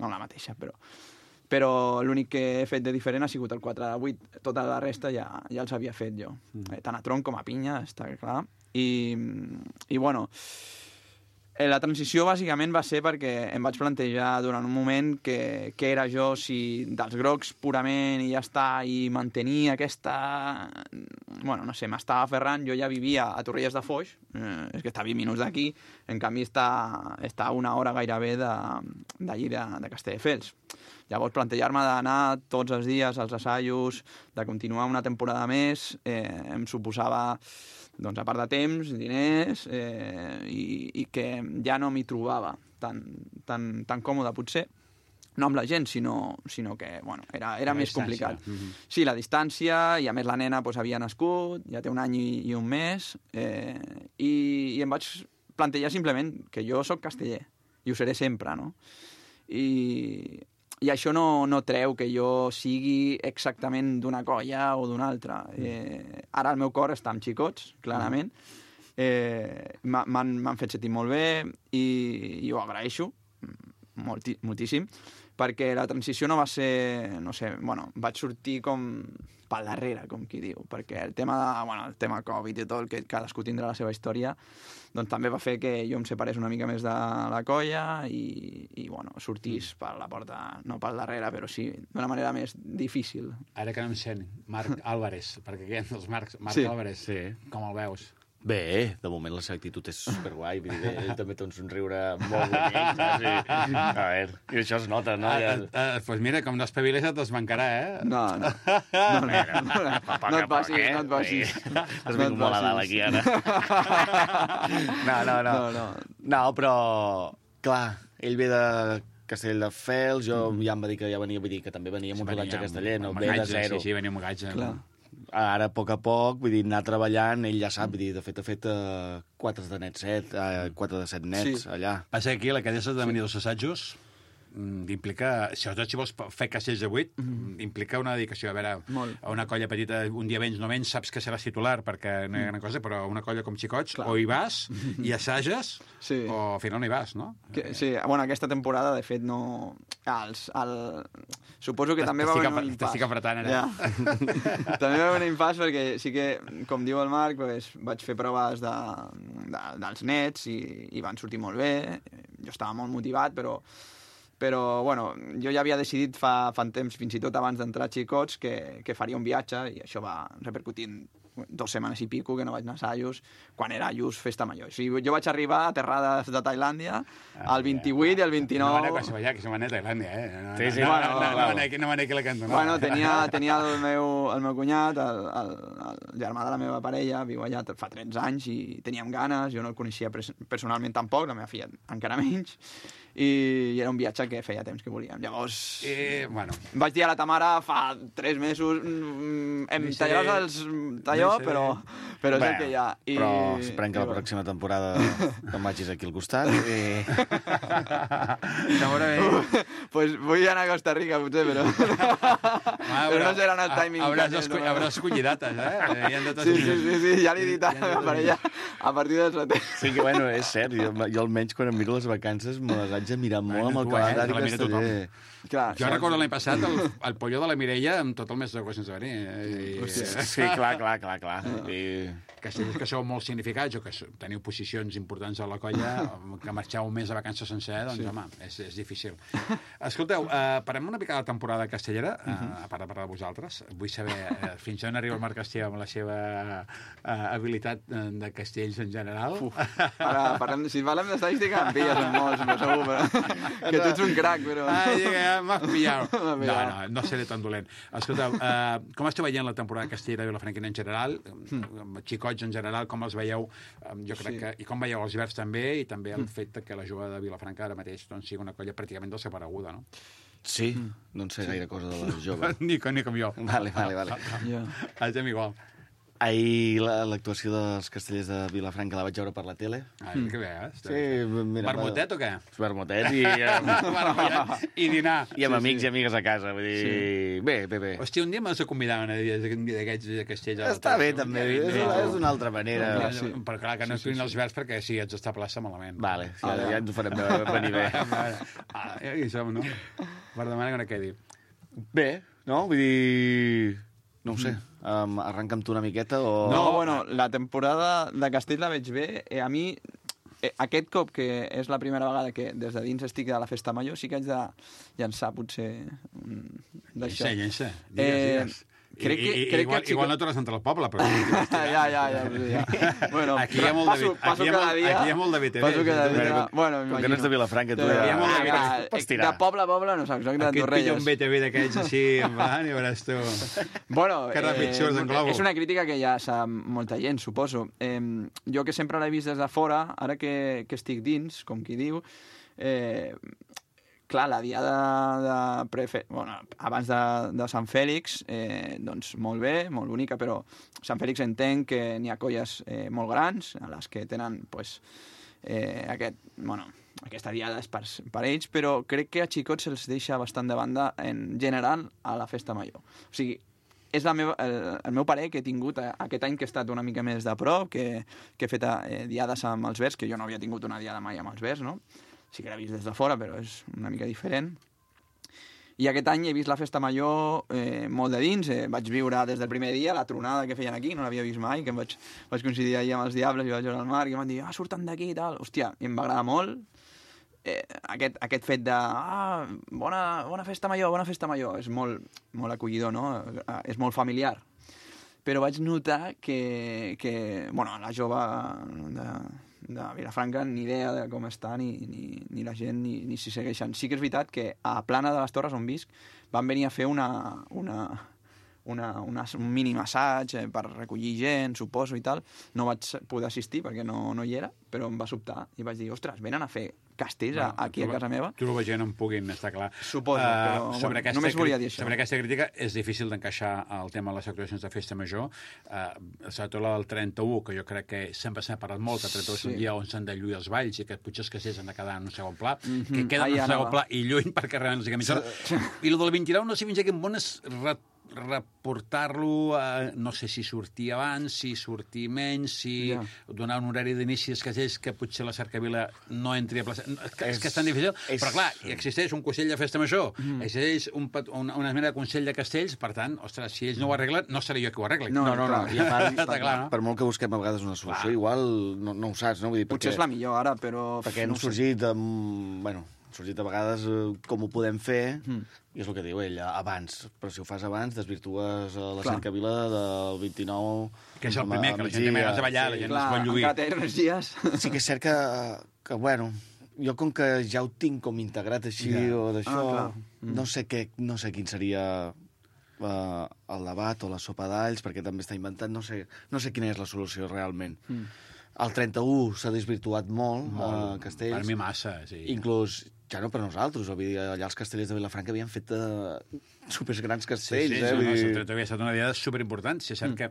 la mateixa, però l'únic que he fet de diferent ha sigut el 4 de 8. Tota la resta ja els havia fet jo. Tant a tronc com a pinya, està clar. I bueno, la transició bàsicament va ser perquè em vaig plantejar durant un moment què era jo, si dels grocs purament i ja està, i mantenir aquesta... Bueno, no sé, m'estava aferrant. Jo ja vivia a Torrelles de Foix, és que està 20 minuts d'aquí, en canvi està a 1 hora gairebé d'allí de Castelldefels. Llavors, plantejar-me d'anar tots els dies als assajos, de continuar una temporada més, em suposava... doncs a part de temps, diners, i que ja no m'hi trobava tan còmode, potser, no amb la gent, sinó que, bueno, era més complicat. Sí, la distància, i a més la nena havia nascut, ja té 1 any i 1 mes, i em vaig plantejar simplement que jo sóc casteller, i ho seré sempre, no? I això no treu que jo sigui exactament d'una colla o d'una altra. Ara el meu cor està amb xicots, clarament. M'han fet sentir molt bé i ho agraeixo moltíssim, perquè la transició no va ser... No sé, bueno, vaig sortir com pel darrere, com qui diu, perquè el tema Covid i tot, que cadascú tindrà la seva història, doncs també va fer que jo em separés una mica més de la colla i bueno, sortís per la porta, no pel darrere, però sí, d'una manera més difícil. Ara que no em sent, Marc Álvarez, perquè aquí hi ha els Marc Álvarez, com el veus? Bé, de moment la seva actitud és superguai, vull dir, ell també té un somriure molt bonic, saps? A veure, i això es nota, no? Doncs mira, com no espaviles et desbancarà, No et passis. Has vingut molt a dalt aquí, ara. No, però, clar, ell ve de Castelldefels, jo ja em va dir que ja venia, vull dir que també venia amb un rodatge casteller, no? Ve de zero. Sí, venia amb un gatge. Clar. Ara, a poc a poc, vull dir, anar treballant, ell ja sap, vull dir, de fet ha fet 4 de 7 nets allà. Passa que aquí la cadena de venir dels assajos implica, sobretot si vols fer castells de 8, implica una dedicació. A veure, a una colla petita, un dia menys, no menys, saps que seràs titular, perquè no hi ha gran cosa, però una colla com xicots, o hi vas i assages, o al final no hi vas, no? Sí, bueno, aquesta temporada, de fet, no... Suposo que també va venir un impàs. T'estic apretant, ara. També va venir un impàs perquè sí que, com diu el Marc, vaig fer proves dels nets i van sortir molt bé. Jo estava molt motivat, però bueno, jo ja havia decidit fa temps, fins i tot abans d'entrar a Xicots, que faria un viatge, i això va repercutir en 2 setmanes i pico que no vaig anar a assajos, quan era just Festa Major. O sigui, jo vaig arribar a terrades de Tailàndia el 28 i el 29... Que se m'anà a Tailàndia, eh? Sí, No m'anà aquí la cantonada. Bueno, tenia el meu cunyat, el germà de la meva parella, viu allà fa 13 anys i teníem ganes, jo no el coneixia personalment tampoc, la meva filla encara menys, i era un viatge que feia temps que volíem. Llavors, vaig dir a la Tamara fa 3 mesos, em tallaràs els talló, però és el que hi ha. Però esperem que la pròxima temporada te'n vagis aquí al costat. Pues vull anar a Costa Rica, potser, però no seran el timing. Hauràs escollit dates, eh? Sí, ja l'he dit a la meva parella a partir del setembre. Sí, que bueno, és cert, jo almenys quan em miro les vacances me les haig de mirar molt amb el calendari que estaré... Jo recordo l'any passat el polló de la Mireia amb tot el mes d'agost sense venir. Sí, clar. Castellers que sou molt significats o que teniu posicions importants a la colla, que marxeu un mes de vacances sencer, doncs, home, és difícil. Escolteu, parem una mica de la temporada castellera, a part de parlar de vosaltres. Vull saber fins on arriba el Marc Castell amb la seva habilitat de castells en general. Si parlem d'estadística, em pilles en molts, però segur, que tu ets un crac, però... M'has pillat. No seré tan dolent. Escolteu, com esteu veient la temporada castellera de Vilafranquina en general? Xicots en general, com els veieu? Jo crec que... I com veieu els verds també, i també el fet que la jove de Vilafranca ara mateix sigui una colla pràcticament desapareguda, no? Sí, no en sé gaire cosa de les joves. Ni com jo. Vale. Estem igual. Ahir l'actuació dels castellers de Vilafranca la vaig veure per la tele. Que bé, eh? Sí, mira, vermutet o què? Vermutet i... I dinar. I amb amics i amigues a casa, vull dir... Bé. Hòstia, un dia m'has de convidar un dia d'aquests castells. Està bé, també, és d'una altra manera. Però clar, que no estiguin els verds perquè si ets d'estar a plaça malament. Vale, ja ens ho farem venir bé. Aquí som, no? Per demanar que no quedi. Bé, no? Vull dir... No ho sé, arrenca'm tu una miqueta o... No, bueno, la temporada de Castell la veig bé. A mi, aquest cop, que és la primera vegada que des de dins estic de la Festa Major, sí que haig de llançar, potser, d'això. Llença. Digues. Igual no tornes a entrar al poble, però... Ja. Bueno, aquí hi ha molt de BTV. Passo cada dia. Bueno, com que no ets de Vilafranca, tu de poble a poble no saps, soc de Torrelles. Aquí et pilla un BTV d'aquells així, en plan, i veuràs tu. Bueno, que ràpid surts en globo. És una crítica que ja sap molta gent, suposo. Jo que sempre l'he vist des de fora, ara que estic dins, com qui diu, clar, la diada abans de Sant Fèlix, doncs molt bé, molt bonica, però Sant Fèlix entenc que n'hi ha colles molt grans, a les que tenen aquesta diada és per ells, però crec que a Xicots se'ls deixa bastant de banda en general a la Festa Major. O sigui, és el meu parer que he tingut aquest any que he estat una mica més de prop, que he fet diades amb els verds, que jo no havia tingut una diada mai amb els verds, no? Sí que l'he vist des de fora, però és una mica diferent. I aquest any he vist la Festa Major molt de dins. Vaig viure des del primer dia la tronada que feien aquí, no l'havia vist mai, que vaig coincidir ahir amb els Diables i vaig veure al Marc i em van dir, surten d'aquí i tal. Hòstia, em va agradar molt aquest fet de bona Festa Major, és molt acollidor, no? És molt familiar. Però vaig notar que la jove de Vilafranca ni idea de com està ni la gent ni s'hi segueixen. Sí que és veritat que a Plana de les Torres, on visc, van venir a fer un mini assaig per recollir gent, suposo, i tal. No vaig poder assistir perquè no hi era, però em va sobtar i vaig dir, ostres, venen a fer castells aquí a casa meva. Tu la gent no en puguin, està clar. Suposo, però només volia dir això. Sobre aquesta crítica és difícil d'encaixar el tema de les actuacions de Festa Major. Sobretot la del 31, que jo crec que sempre s'ha parlat molt, que el 31 és un dia on s'han de lluir els balls i que potser els castells han de quedar en un segon pla, que queden en un segon pla i lluïn perquè realment els I el del 29 no sé fins a quin bon reportar-lo, no sé si sortir abans, si sortir menys, si donar un horari d'inici als castells que potser la cercavila no entri a plaça. És que és tan difícil, però clar, existeix un Consell de Festa Major, existeix una mena de Consell de Castells, per tant, ostres, si ells no ho arreglen, no seré jo qui ho arregli. No. I a part, no? per molt que busquem a vegades una solució, igual no ho saps, no? Vull dir, potser és la millor ara, però... Perquè han sorgit a vegades com ho podem fer, i és el que diu ell, abans. Però si ho fas abans, desvirtues la cercavila del 29... Que és el primer, que la gent té més ganes de ballar, la gent es vol lluir. Encara té 3 dies. Sí que és cert que bueno, jo com que ja ho tinc com integrat així o d'això, no sé quin seria el debat o la sopa d'alls, perquè també està inventat, no sé quina és la solució realment. El 31 s'ha desvirtuat molt a Castells. Per mi massa, sí. Inclús, ja no per nosaltres, allà els castellers de Vilafranca havien fet supergrans castells. Sí, el 31 havia estat una diada superimportant. Si és cert que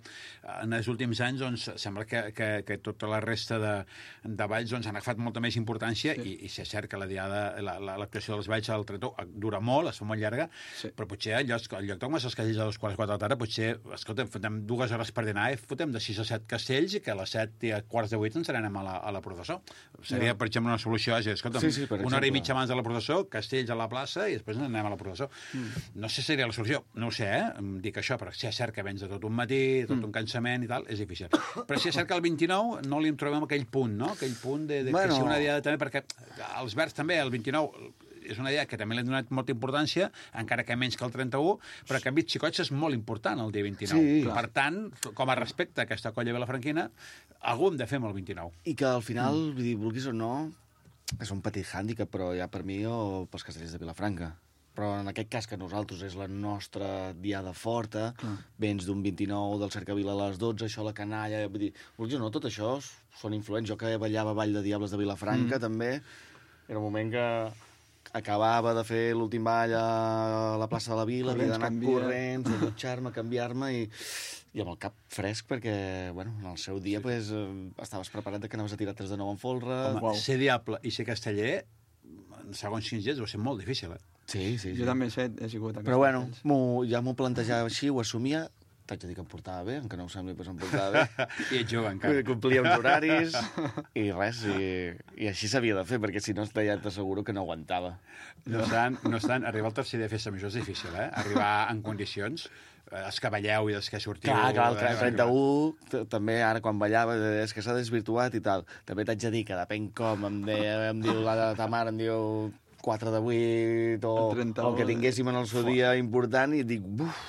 en els últims anys doncs, sembla que tota la resta de balls doncs, han agafat molta més importància i si és cert que la diada, l'actuació dels balls al 31 dura molt, es fa molt llarga, però potser al lloc de començar els castells a les 4 de la tarda, potser, escolta, fotem 2 hores per dinar i fotem de 6 a 7 castells i que a les 7 i a quarts de 8 ens anem a la processó. Seria, per exemple, una solució, escolta, una hora i mitja abans de la processó, castells a la plaça i després anem a la processó. No sé si seria la solució, no ho sé, dic això, però si és cert que vens de tot un matí, tot un cansament i tal, és difícil. Però si és cert que el 29 no li en trobem aquell punt, no? Aquell punt de que sigui una diada també, perquè els Verds també, el 29 és una idea que també li han donat molta importància, encara que menys que el 31, però que en Vit Xicots és molt important el dia 29. Sí, per tant, com a respecte a aquesta colla vilafranquina, algú hem de fer amb el 29. I que al final, vull dir, vulguis o no, és un petit hàndicap, però ja per mi o pels castellers de Vilafranca. Però en aquest cas, que nosaltres és la nostra diada forta, vens d'un 29 del Cercavila a les 12, això la canalla... Vull dir, vulguis o no, tot això són influents. Jo que ballava Ball de Diables de Vilafranca, també, era un moment que acabava de fer l'últim ball a la plaça de la Vila, havia d'anar corrents, a dutxar-me, a canviar-me i amb el cap fresc perquè, bueno, en el seu dia pues, estaves preparat que anaves a tirar 3 de 9 en folre. Home, ser diable i ser casteller, segons quins dies, va ser molt difícil, Sí. Jo també he sigut a però bueno, ja m'ho plantejava així, ho assumia. T'haig de dir que em portava bé, encara no ho sembli, però em portava bé. I ets jove, encara. Complia uns horaris i res, i així s'havia de fer, perquè si no ja t'asseguro que no aguantava. No obstant, arribar al tercer dia de festa major és difícil, Arribar en condicions, els que balleu i els que sortiu... Clar, el 31, també ara quan ballava, és que s'ha desvirtuat i tal. També t'haig de dir que depèn com, em diu la Tamara, em diu 4 de 8 o el que tinguéssim en el seu dia important i dic,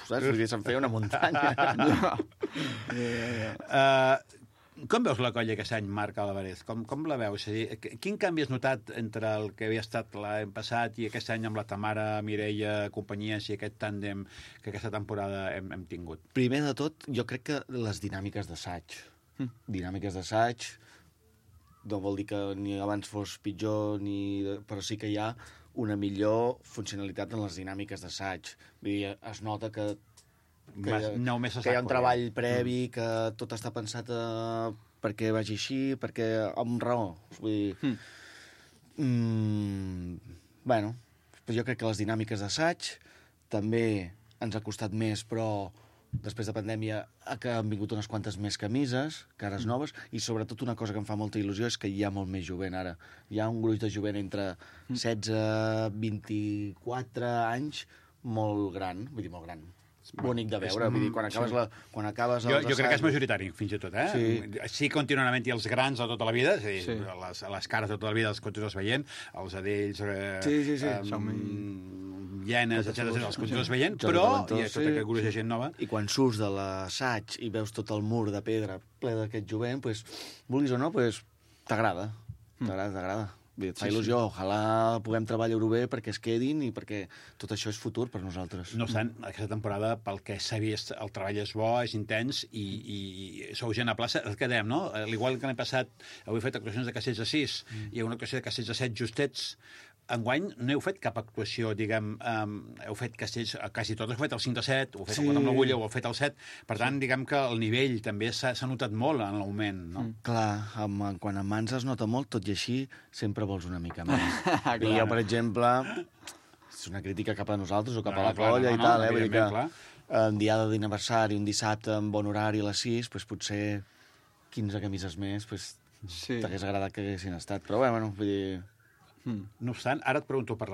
saps? Se'm feia una muntanya. Com veus la colla aquest any, Marc Álvarez? Com la veus? És a dir, quin canvi has notat entre el que havia estat l'any passat i aquest any amb la Tamara, Mireia, companyies i aquest tàndem que aquesta temporada hem tingut? Primer de tot, jo crec que les dinàmiques d'assaig. Dinàmiques d'assaig no vol dir que ni abans fos pitjor, però sí que hi ha una millor funcionalitat en les dinàmiques d'assaig. Vull dir, es nota que hi ha un treball previ, que tot està pensat perquè vagi així, perquè amb raó. Vull dir, bueno, jo crec que les dinàmiques d'assaig també ens ha costat més, però després de pandèmia han vingut unes quantes més camises, cares noves, i sobretot una cosa que em fa molta il·lusió és que hi ha molt més jovent ara. Hi ha un gruix de jovent entre 16 i 24 anys molt gran, vull dir molt gran, bonic de veure, vull dir, quan acabes jo crec que és majoritari, fins i tot, Sí, continuament hi ha els grans de tota la vida, és a dir, les cares de tota la vida els continues veient, els adells, llenes, etc. els continues veient, però hi ha tot aquest gruix de gent nova. I quan surts de l'assaig i veus tot el mur de pedra ple d'aquest jovent, vulguis o no, t'agrada. T'agrada. Et fa il·lusió, ojalà puguem treballar-ho bé perquè es quedin i perquè tot això és futur per nosaltres. No obstant, aquesta temporada, pel que s'ha vist, el treball és bo, és intens i sou gent a plaça, el que dèiem, no? Igual que l'any passat heu fet actuacions de castells de 6 i una actuació de castells de 7 justets, enguany no heu fet cap actuació, diguem, heu fet castells, quasi tots heu fet el 5 de 7, ho heu fet el 4 amb l'agulla, ho heu fet el 7, per tant, diguem que el nivell també s'ha notat molt en l'augment, no? Clar, quan en mans es nota molt, tot i així, sempre vols una mica més. I jo, per exemple, és una crítica cap a nosaltres o cap a la colla i tal, vull dir que en diada d'aniversari, un dissabte amb bon horari a les 6, doncs potser 15 camises més, doncs t'hagués agradat que haguessin estat. Però bé, bueno, vull dir... No obstant, ara et pregunto per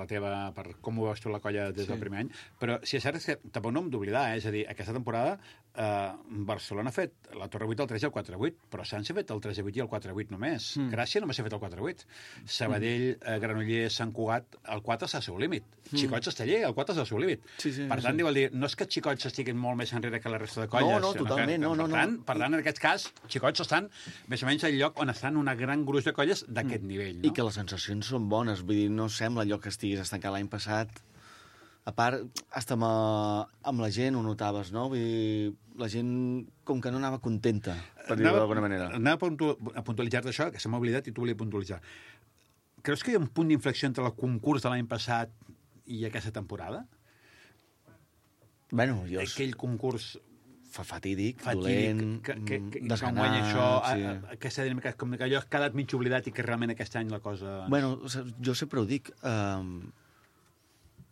com ho veus tu la colla des del primer any, però si és cert que tampoc no hem d'oblidar, és a dir, aquesta temporada Barcelona ha fet la Torre 8, el 3 i el 4-8, però Sants ha fet el 3-8 i el 4-8 només. Gràcia només ha fet el 4-8. Sabadell, Granollers, Sant Cugat, el 4 està al seu límit. Xicots Esteller, el 4 està al seu límit. Per tant, vol dir, no és que Xicots estiguin molt més enrere que la resta de colles. No, totalment, no. Per tant, en aquest cas, Xicots estan més o menys al lloc on estan una gran gruix de colles d'aquest nivell. I que les sensacions són bones, vull dir, no sembla allò que estiguis estancat l'any passat. A part, hasta amb la gent ho notaves, no? Vull dir, la gent com que no anava contenta, per dir-ho d'alguna manera. Anava a puntualitzar-te això, que se m'ha oblidat i tu volia puntualitzar. Creus que hi ha un punt d'inflexió entre el concurs de l'any passat i aquesta temporada? Bueno, aquell concurs fatídic, dolent, desganat... Aquesta dinàmica, com que allò ha quedat mig oblidat i que realment aquest any la cosa... Bueno, jo sempre ho dic,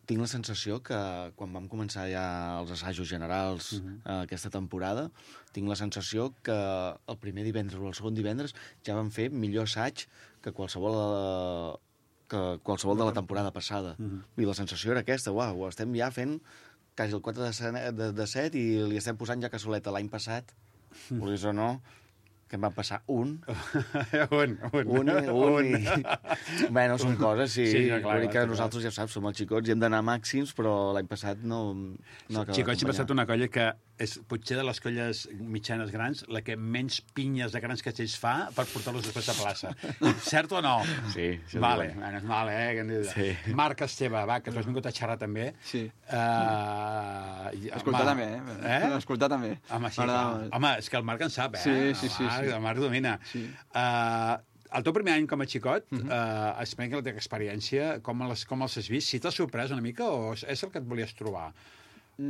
tinc la sensació que quan vam començar ja els assajos generals aquesta temporada, tinc la sensació que el primer divendres o el segon divendres ja vam fer millor assaig que qualsevol de la temporada passada. I la sensació era aquesta, uau, estem ja fent quasi el 4 de 7 i li estem posant ja cassoleta. L'any passat, vulguis o no, que em van passar un. Bueno, són coses, sí. Vull dir que nosaltres, ja saps, som els xicots i hem d'anar màxims, però l'any passat no Xicots sempre ha estat una colla que és potser de les colles mitjanes grans la que menys pinyes de grans castells fa per portar-los després a plaça. Cert o no? Sí. Vale, és mal, Sí. Marc Esteve, va, que tu has vingut a xerrar també. Sí. Escoltar també, Escoltar també. Home, és que el Marc en sap, Sí. El Marc domina. Sí. El teu primer any com a xicot, explica la teva experiència, com els has vist? Si t'has sorprès una mica o és el que et volies trobar?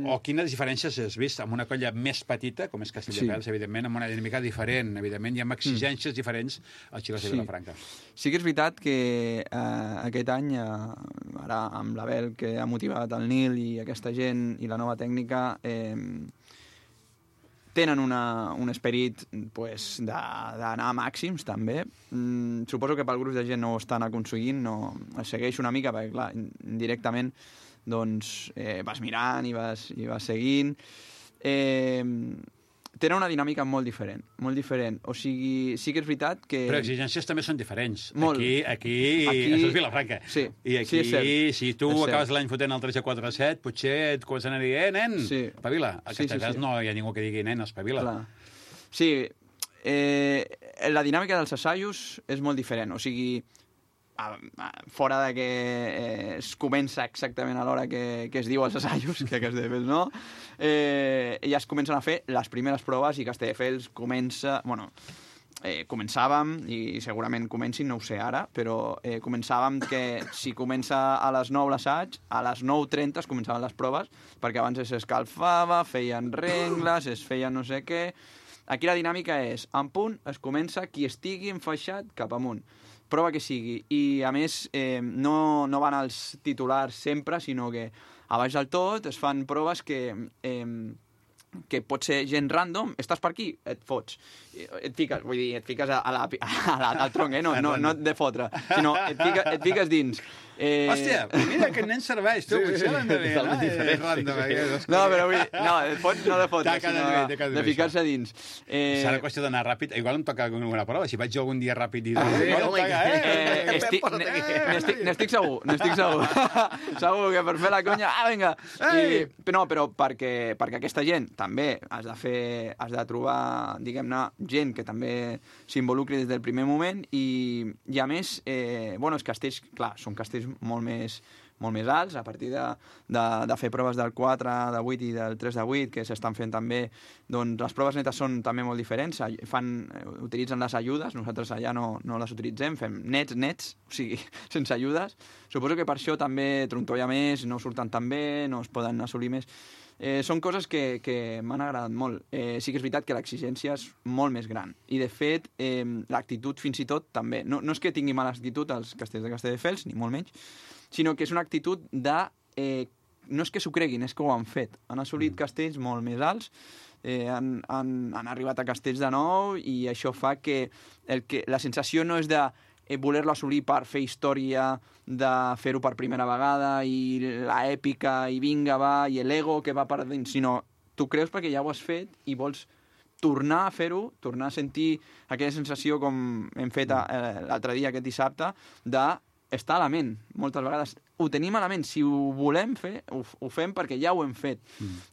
O quines diferències has vist amb una colla més petita, com és Castelldefels, evidentment, amb una dinàmica diferent, evidentment, i amb exigències diferents als Xicots de Vilafranca. Sí que és veritat que aquest any, ara amb l'Abel, que ha motivat el Nil i aquesta gent i la nova tècnica, tenen un esperit d'anar a màxims, també. Suposo que pel gruix de gent no ho estan aconseguint, no es segueix una mica, perquè, clar, indirectament doncs vas mirant i vas seguint. Tenen una dinàmica molt diferent. O sigui, sí que és veritat que... Però exigències també són diferents. Molt. Aquí això és Vilafranca. Sí, I aquí, és cert. si tu acabes l'any fotent el 3 a 4 a 7, potser et comencen a dir, nen, espavila. A Castelldefels no hi ha ningú que digui, nen, espavila. Clar. Sí, la dinàmica dels assajos és molt diferent. O sigui, fora de que es comença exactament a l'hora que es diu els assajos, que Castelldefels no, ja es comencen a fer les primeres proves i Castelldefels comença... Bueno, començàvem, i segurament comencin, no ho sé ara, però començàvem que si comença a les 9 l'assaig, a les 9:30 es començaven les proves, perquè abans s'escalfava, feien rengles, es feien no sé què... Aquí la dinàmica és, en punt, es comença qui estigui enfaixat cap amunt. Prova que sigui. I, a més, no van als titulars sempre, sinó que a baix del tot es fan proves que pot ser gent random. Estàs per aquí? Et fots. Et fiques, vull dir, et fiques al tronc, no de fotre, sinó et fiques dins. Hòstia, mira que nen serveix, tu, potser l'hem de dir, no, però vull dir, et fots no de fotre, sinó de ficar-se dins. Serà qüestió d'anar ràpid, igual em toca alguna prova, si vaig jo algun dia ràpid i... N'estic segur. Segur que per fer la conya, vinga! No, però perquè aquesta gent també has de trobar, diguem-ne, gent que també s'involucri des del primer moment i a més, els castells, clar, són castells molt més alts, a partir de fer proves del 4 de 8 i del 3 de 8, que s'estan fent també, doncs les proves netes són també molt diferents, utilitzen les ajudes, nosaltres allà no les utilitzem, fem nets, o sigui, sense ajudes. Suposo que per això també trontolla més, no surten tan bé, no es poden assolir més. Són coses que m'han agradat molt. Sí que és veritat que l'exigència és molt més gran. I, de fet, l'actitud fins i tot també. No és que tingui mala actitud els castells de Castelldefels, ni molt menys, sinó que és una actitud de no és que s'ho creguin, és que ho han fet. Han assolit castells molt més alts, han arribat a castells de nou i això fa que la sensació no és de voler-lo assolir per fer història, de fer-ho per primera vegada i l'èpica i vinga, va, i l'ego que va per dins, sinó tu creus perquè ja ho has fet i vols tornar a fer-ho, tornar a sentir aquella sensació com hem fet l'altre dia, aquest dissabte, d'estar a la ment. Moltes vegades ho tenim a la ment. Si ho volem fer, ho fem perquè ja ho hem fet.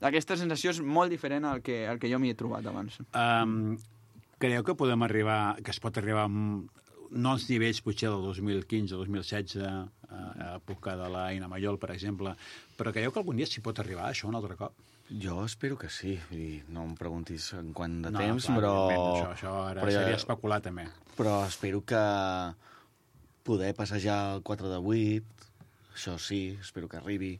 Aquesta sensació és molt diferent al que jo m'hi he trobat abans. Creieu que podem arribar, que es pot arribar no als nivells potser del 2015 o 2016, a època de la Ina Mayol, per exemple, però creieu que algun dia s'hi pot arribar, això, un altre cop? Jo espero que sí. Vull dir, no em preguntis en quant de No, temps, clar, però... Això ara seria especular, també. Però espero que poder passejar el 4 de 8, això sí, espero que arribi,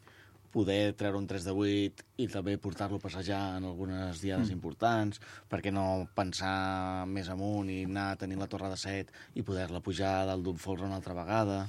poder treure un 3 de 8 i també portar-lo a passejar en algunes diades importants, perquè no pensar més amunt i anar tenint la torre de 7 i poder-la pujar dalt d'un folre una altra vegada.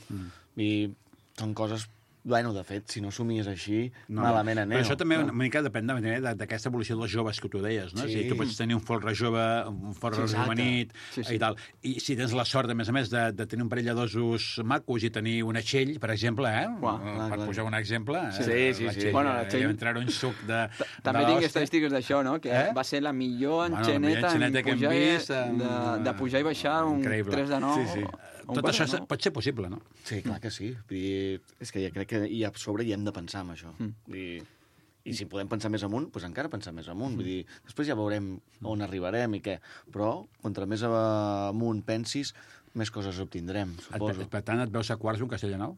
I són coses... Bueno, de fet, si no somies així, malament aneu. Però això també una mica depèn d'aquesta evolució dels joves que tu deies, no? Sí. O sigui, tu pots tenir un folre jove, un folre rejuvenit, i tal. I si tens la sort, a més de tenir un parell de dosos macos i tenir un atxell, per exemple, per posar un exemple, Sí. Bueno, l'atxell... entrar un suc de... També tinc estadístiques d'això, no? Que va ser la millor enxaneta de pujar i baixar un 3 de 9. Sí. Tot això pot ser possible, no? Sí, clar que sí. És que ja crec que a sobre hi hem de pensar en això. I si podem pensar més amunt, doncs encara pensar més amunt. Vull dir, després ja veurem on arribarem i què. Però, contra més amunt pensis, més coses obtindrem, suposo. Per tant, et veus a quarts d'un castell de nou?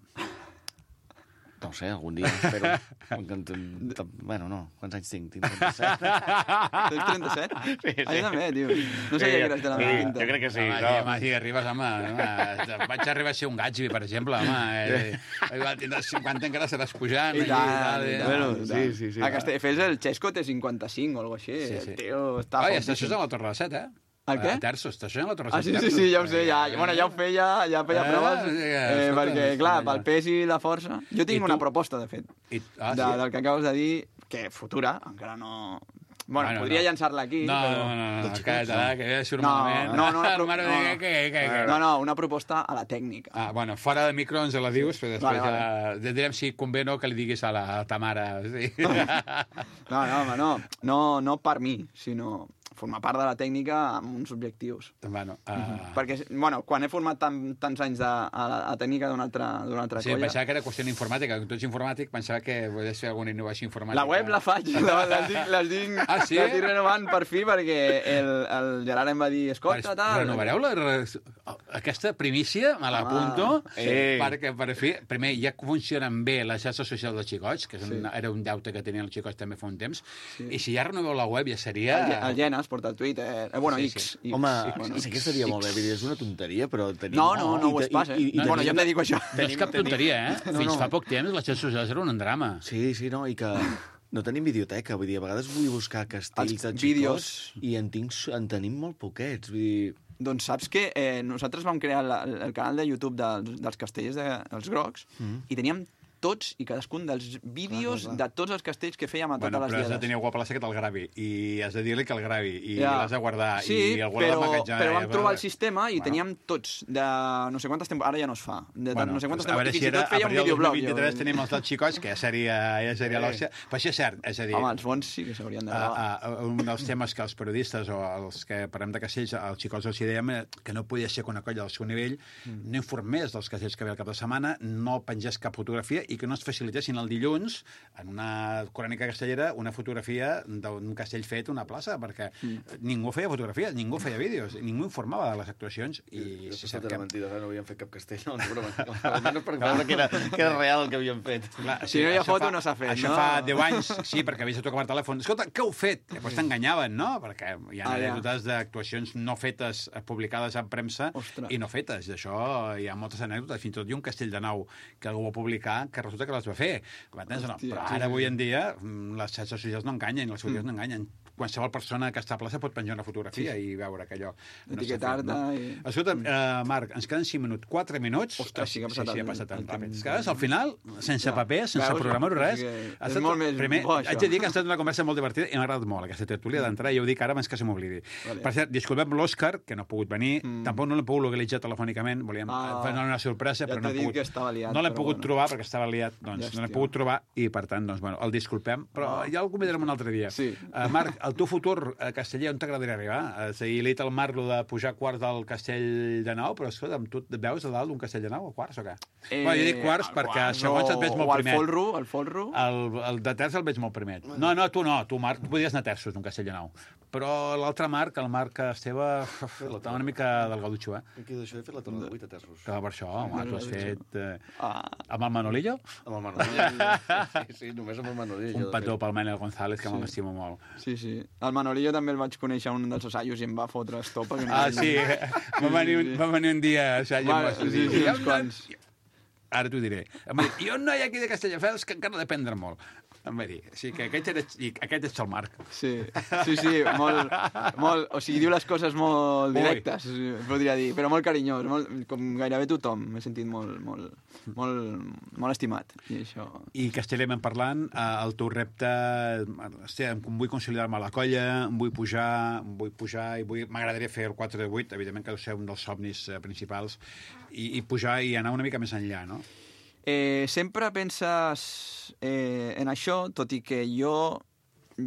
No ho sé, algun dia, espero. Bueno, no. Quants anys tinc? Tinc 37. Tens 37? Sí. Ah, jo també, tio. No sabia que eres de la meva pinta. Jo crec que sí. Home, si arribes, home, vaig arribar a ser un Gatsby, per exemple, home. Igual tindràs 50, encara seràs pujant. I tant. Bueno, sí. A Castelldefels el Xesco té 55 o alguna cosa així. Sí. Tio, està Ai, això és a la Torre de 7, El què? Terços, això és a la Torre de 7. Sí, ja ho sé, ja ho feia, ja feia proves, perquè, clar, pel pes i la força... Jo tinc una proposta, de fet, del que acabes de dir, que futura, encara no... Bueno, podria llançar-la aquí, però... No, que surt malament. No, una proposta a la tècnica. Ah, bueno, fora de micro ens la dius, però després direm si convé o que li diguis a ta mare. No per mi, sinó formar part de la tècnica amb uns objectius. Bueno, perquè, quan he format tants anys a tècnica d'una altra colla... Sí, pensava que era qüestió informàtica. Tu ets informàtic, pensava que podies fer alguna innovació informàtica. La web la faig, les dic renovant per fi, perquè el Gerard em va dir, escolta, tal... Renovareu aquesta primícia, me l'apunto, perquè per fi, primer, ja funcionen bé les xarxes socials dels xicots, que era un deute que tenien els xicots també fa un temps, i si ja renoveu la web ja seria... El Genes porta el Twitter, X. Home, sí que estaria molt bé, és una tonteria, però... No ho és pas, Bueno, jo et dedico a això. No és cap tonteria, Fins fa poc temps les xarxes socials eren un drama. Sí, no, i que... No tenim videoteca, vull dir, a vegades vull buscar castells de xicots i en tenim molt poquets, vull dir... Doncs saps que nosaltres vam crear el canal de YouTube dels castellers dels grocs i teníem tots i cadascun dels vídeos de tots els castells que fèiem a totes les diades. Però has de tenir algú a plaça que te'l gravi, i has de dir-li que el gravi, i l'has de guardar, i algú l'ha d'emmagatzegar. Però vam trobar el sistema i teníem tots de no sé quantes temporades, ara ja no es fa, de no sé quantes temporades, i fins i tot feia un videoblog. A partir del 2023 tenim els dels xicots, que ja seria l'òxia. Però això és cert, és a dir... Home, els bons sí que s'haurien de gravar. Un dels temes que els periodistes o els que parlem de castells, els xicots els dèiem que no podia ser que una colla del seu nivell no informés dels castells que ve al cap de setmana, no pengés cap fotografia i que no es facilitessin el dilluns, en una crònica castellera, una fotografia d'un castell fet a una plaça, perquè ningú feia fotografies, ningú feia vídeos, ningú informava de les actuacions. I si sap que era mentida, no havíem fet cap castell, no, almenys per veure que era real el que havíem fet. Si no hi ha foto, no s'ha fet, no? Això fa 10 anys, sí, perquè havies de tocar el telèfon. Escolta, què heu fet? Després t'enganyaven, no? Perquè hi ha anècdotes d'actuacions no fetes, publicades en premsa, i no fetes. D'això hi ha moltes anècdotes. Fins i tot hi ha un castell de nau que algú va publicar, que resulta que les va fer. No. Hòstia, Però ara, avui en dia, les xarxes socials no enganyen, les fotografies no enganyen. Qualsevol persona que està a plaça pot penjar una fotografia i veure que allò no s'ha fet. Etiquetar-te. Escolta'm, Marc, ens queden 5 minuts, 4 minuts. Ostres, sí que ha passat ha passat tan el ràpid. temps. És que al final, sense paper, sense Veus? programar res... És molt més bo, això. Haig de dir que ha estat una conversa molt divertida i m'ha agradat molt aquesta tertúlia d'entrar, i ho dic ara abans que se m'oblidi. Vale. Per cert, disculpem l'Òscar, que no ha pogut venir, tampoc no l'hem pogut localitzar telefònicament, volíem fer una sorpresa, ja però no t'he dit que estava liat, no l'hem però pogut bueno. trobar perquè estava liat, doncs no l'hem pogut trobar i, per tant, doncs, bueno, el disculpem, però ja el convidarem un altre dia. Sí. Marc, el teu futur a Casteller, on t'agradaria arribar? Ahir li he dit al Marc de pujar quarts del Castell de Nou, però escolta'm, tu et veus a dalt d'un Castell de Nou o quarts o què? Bueno, jo dic quarts perquè segons et veig molt primet. O el folro. El de terç el veig molt primet. No, tu, Marc, tu podries anar terços d'un Castell de Nou. Però l'altre Marc, el Marc Esteve, està una mica del gaudutxo, eh? Aquí d'això he fet la torna de 8 a terços. Que per això, home, tu has fet... Amb el Manolillo? Amb el Manolillo. Sí, només amb el Manolillo. Un petó pel Manel González, que m'estimo molt. Sí. El Manolillo també el vaig conèixer un dels assajos i em va fotre estopa. Sí, va venir un dia a assaig. Sí, uns quants. Ara t'ho diré. Em va dir, hi ha un noi aquí de Castelldefels que encara ha d'aprendre molt. Em va dir. Sí, que aquest és el Marc. Sí, molt... O sigui, diu les coses molt directes, podria dir, però molt carinyós, com gairebé tothom. M'he sentit molt estimat. I això... I castellerment parlant, el teu repte... Vull consolidar-me a la colla, vull pujar i m'agradaria fer el 4 de 8, evidentment que deu ser un dels somnis principals, i pujar i anar una mica més enllà, no? Sempre penses en això, tot i que jo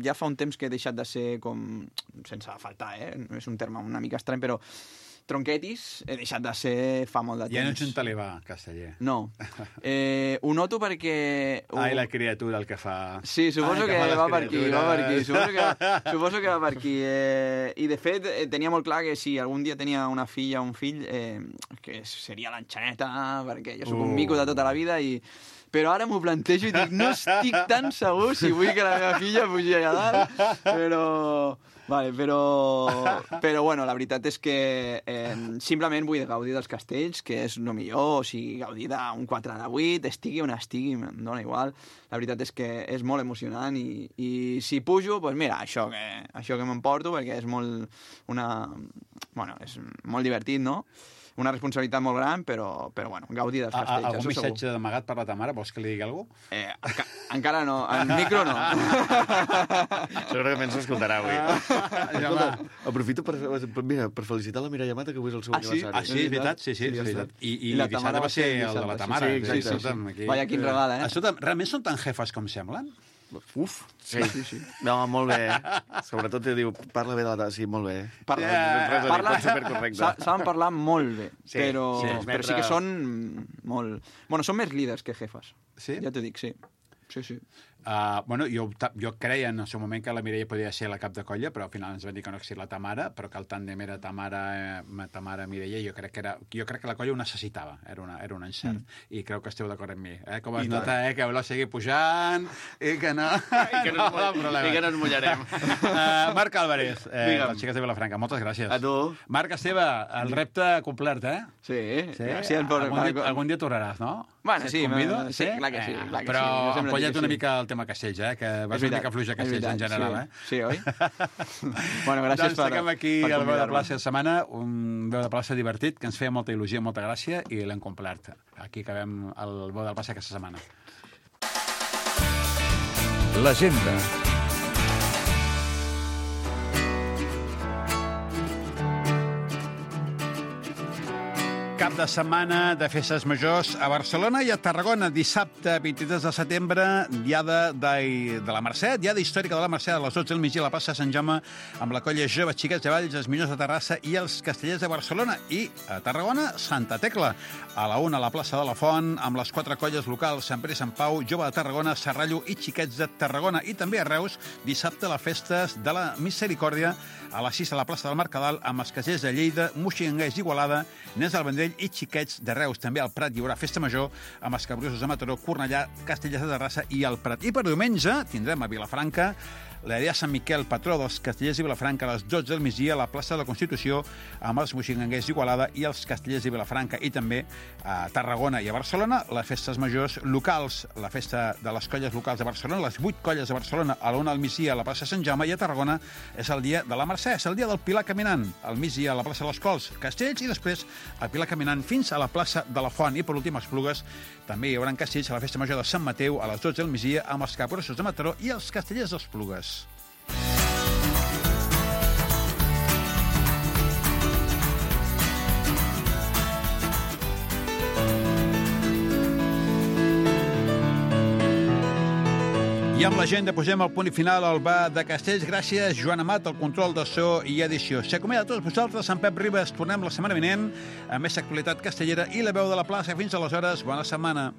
ja fa un temps que he deixat de ser com... sense faltar, és un terme una mica estrany, però tronquetis he deixat de ser fa molt de temps. Ja no ets un talibà, Casteller. No. Ho noto perquè... Ai, la criatura, el que fa... Sí, suposo que va per aquí. Suposo que va per aquí. I, de fet, tenia molt clar que si algun dia tenia una filla o un fill, que seria l'enxaneta, perquè jo soc un mico de tota la vida i... Però ara m'ho plantejo i dic, no estic tan segur si vull que la meva filla pugi allà dalt, però bueno, la veritat és que simplement vull gaudir dels castells, que és el millor, o sigui, gaudir d'un 4 de 8, estigui on estigui, em dóna igual. La veritat és que és molt emocionant i si pujo, doncs mira, això que m'emporto, perquè és és molt divertit, no? Una responsabilitat molt gran, però bueno, gaudir dels castells. Algun missatge d'amagat per la ta mare? Vols que li digui alguna cosa? Encara no, en micro no. Segurament s'escoltarà avui. Aprofito per felicitar la Mireia Mata, que avui és el seu aniversari. Sí, és veritat, sí, és veritat. I dissabte va ser el de la ta mare. Sí. Vaya, quin regal, Escolta, realment són tan jefes com semblen? Uf, sí. No, molt bé. Sobretot te diu, parla bé de la... Sí, molt bé. Saben parlar molt bé, però sí que són molt... Bueno, són més líders que jefes. Sí? Ja t'ho dic, sí. Sí. Jo creia en el seu moment que la Mireia podia ser la cap de colla, però al final ens van dir que no existia la Tamara, però que el tàndem era Tamara-Mireia, i jo crec que la colla ho necessitava, era un encert, i creu que esteu d'acord amb mi. Com es nota, que voleu seguir pujant, i que no... I que no ens mullarem. Marc Álvarez, les xiques de Vilafranca, moltes gràcies. A tu. Marc Esteve, el repte complert, Sí. Algun dia tornaràs, no? Bueno, sí, sí, clar que sí. Però empolla't una mica el tema castells, que vas una mica fluix a castells en general, Sí, oi? Bueno, gràcies doncs tanquem aquí el Veu de Plaça de setmana, un Veu de Plaça divertit, que ens feia molta il·lusió, molta gràcia, i l'hem complert. Aquí acabem el Veu de Plaça aquesta setmana. L'agenda. Cap de setmana de festes majors a Barcelona i a Tarragona. Dissabte, 23 de setembre, diada de la Mercè, diada històrica de la Mercè, a les 12 del migdia a la plaça de Sant Jaume, amb la colla Joves Xiquets de Valls, els Millors de Terrassa i els Castellers de Barcelona. I a Tarragona, Santa Tecla. A la 1 a la plaça de la Font, amb les 4 colles locals, Sant Pere i Sant Pau, Jove de Tarragona, Serrallo i Xiquets de Tarragona. I també a Reus, dissabte, les festes de la Misericòrdia, a les 6 a la plaça del Mercadal, amb els Castellers de Lleida, Moixigangers d'Igualada, Nes del Vendrell i Xiquets de Reus. També al Prat hi haurà festa major amb els Capgrossos de Mataró, Cornellà, Castellers de Terrassa i el Prat. I per diumenge tindrem a Vilafranca la Dia Sant Miquel, patró dels Castellers i Vilafranca, a les 12 del migdia a la plaça de la Constitució, amb els moixinganguers d'Igualada i els Castellers i Vilafranca, i també a Tarragona i a Barcelona, les festes majors locals, la festa de les colles locals de Barcelona, les 8 colles de Barcelona, a la 1 al migdia a la plaça Sant Jaume, i a Tarragona és el dia de la Mercè, és el dia del Pilar Caminant, al migdia a la plaça de les Cols, Castells, i després el Pilar Caminant fins a la plaça de la Font. I per últim, Esplugues, també hi haurà Castells a la festa major de Sant Mateu a les 12 del migdia amb els capgrossos de Mataró i els Castellers d'Esplugues. I amb l'agenda posem el punt final al bar de Castells. Gràcies, Joan Amat, el control de so i edició. S'acomiada a tots vosaltres, en Pep Ribas. Tornem la setmana vinent amb més actualitat castellera i la veu de la plaça. Fins aleshores, bona setmana.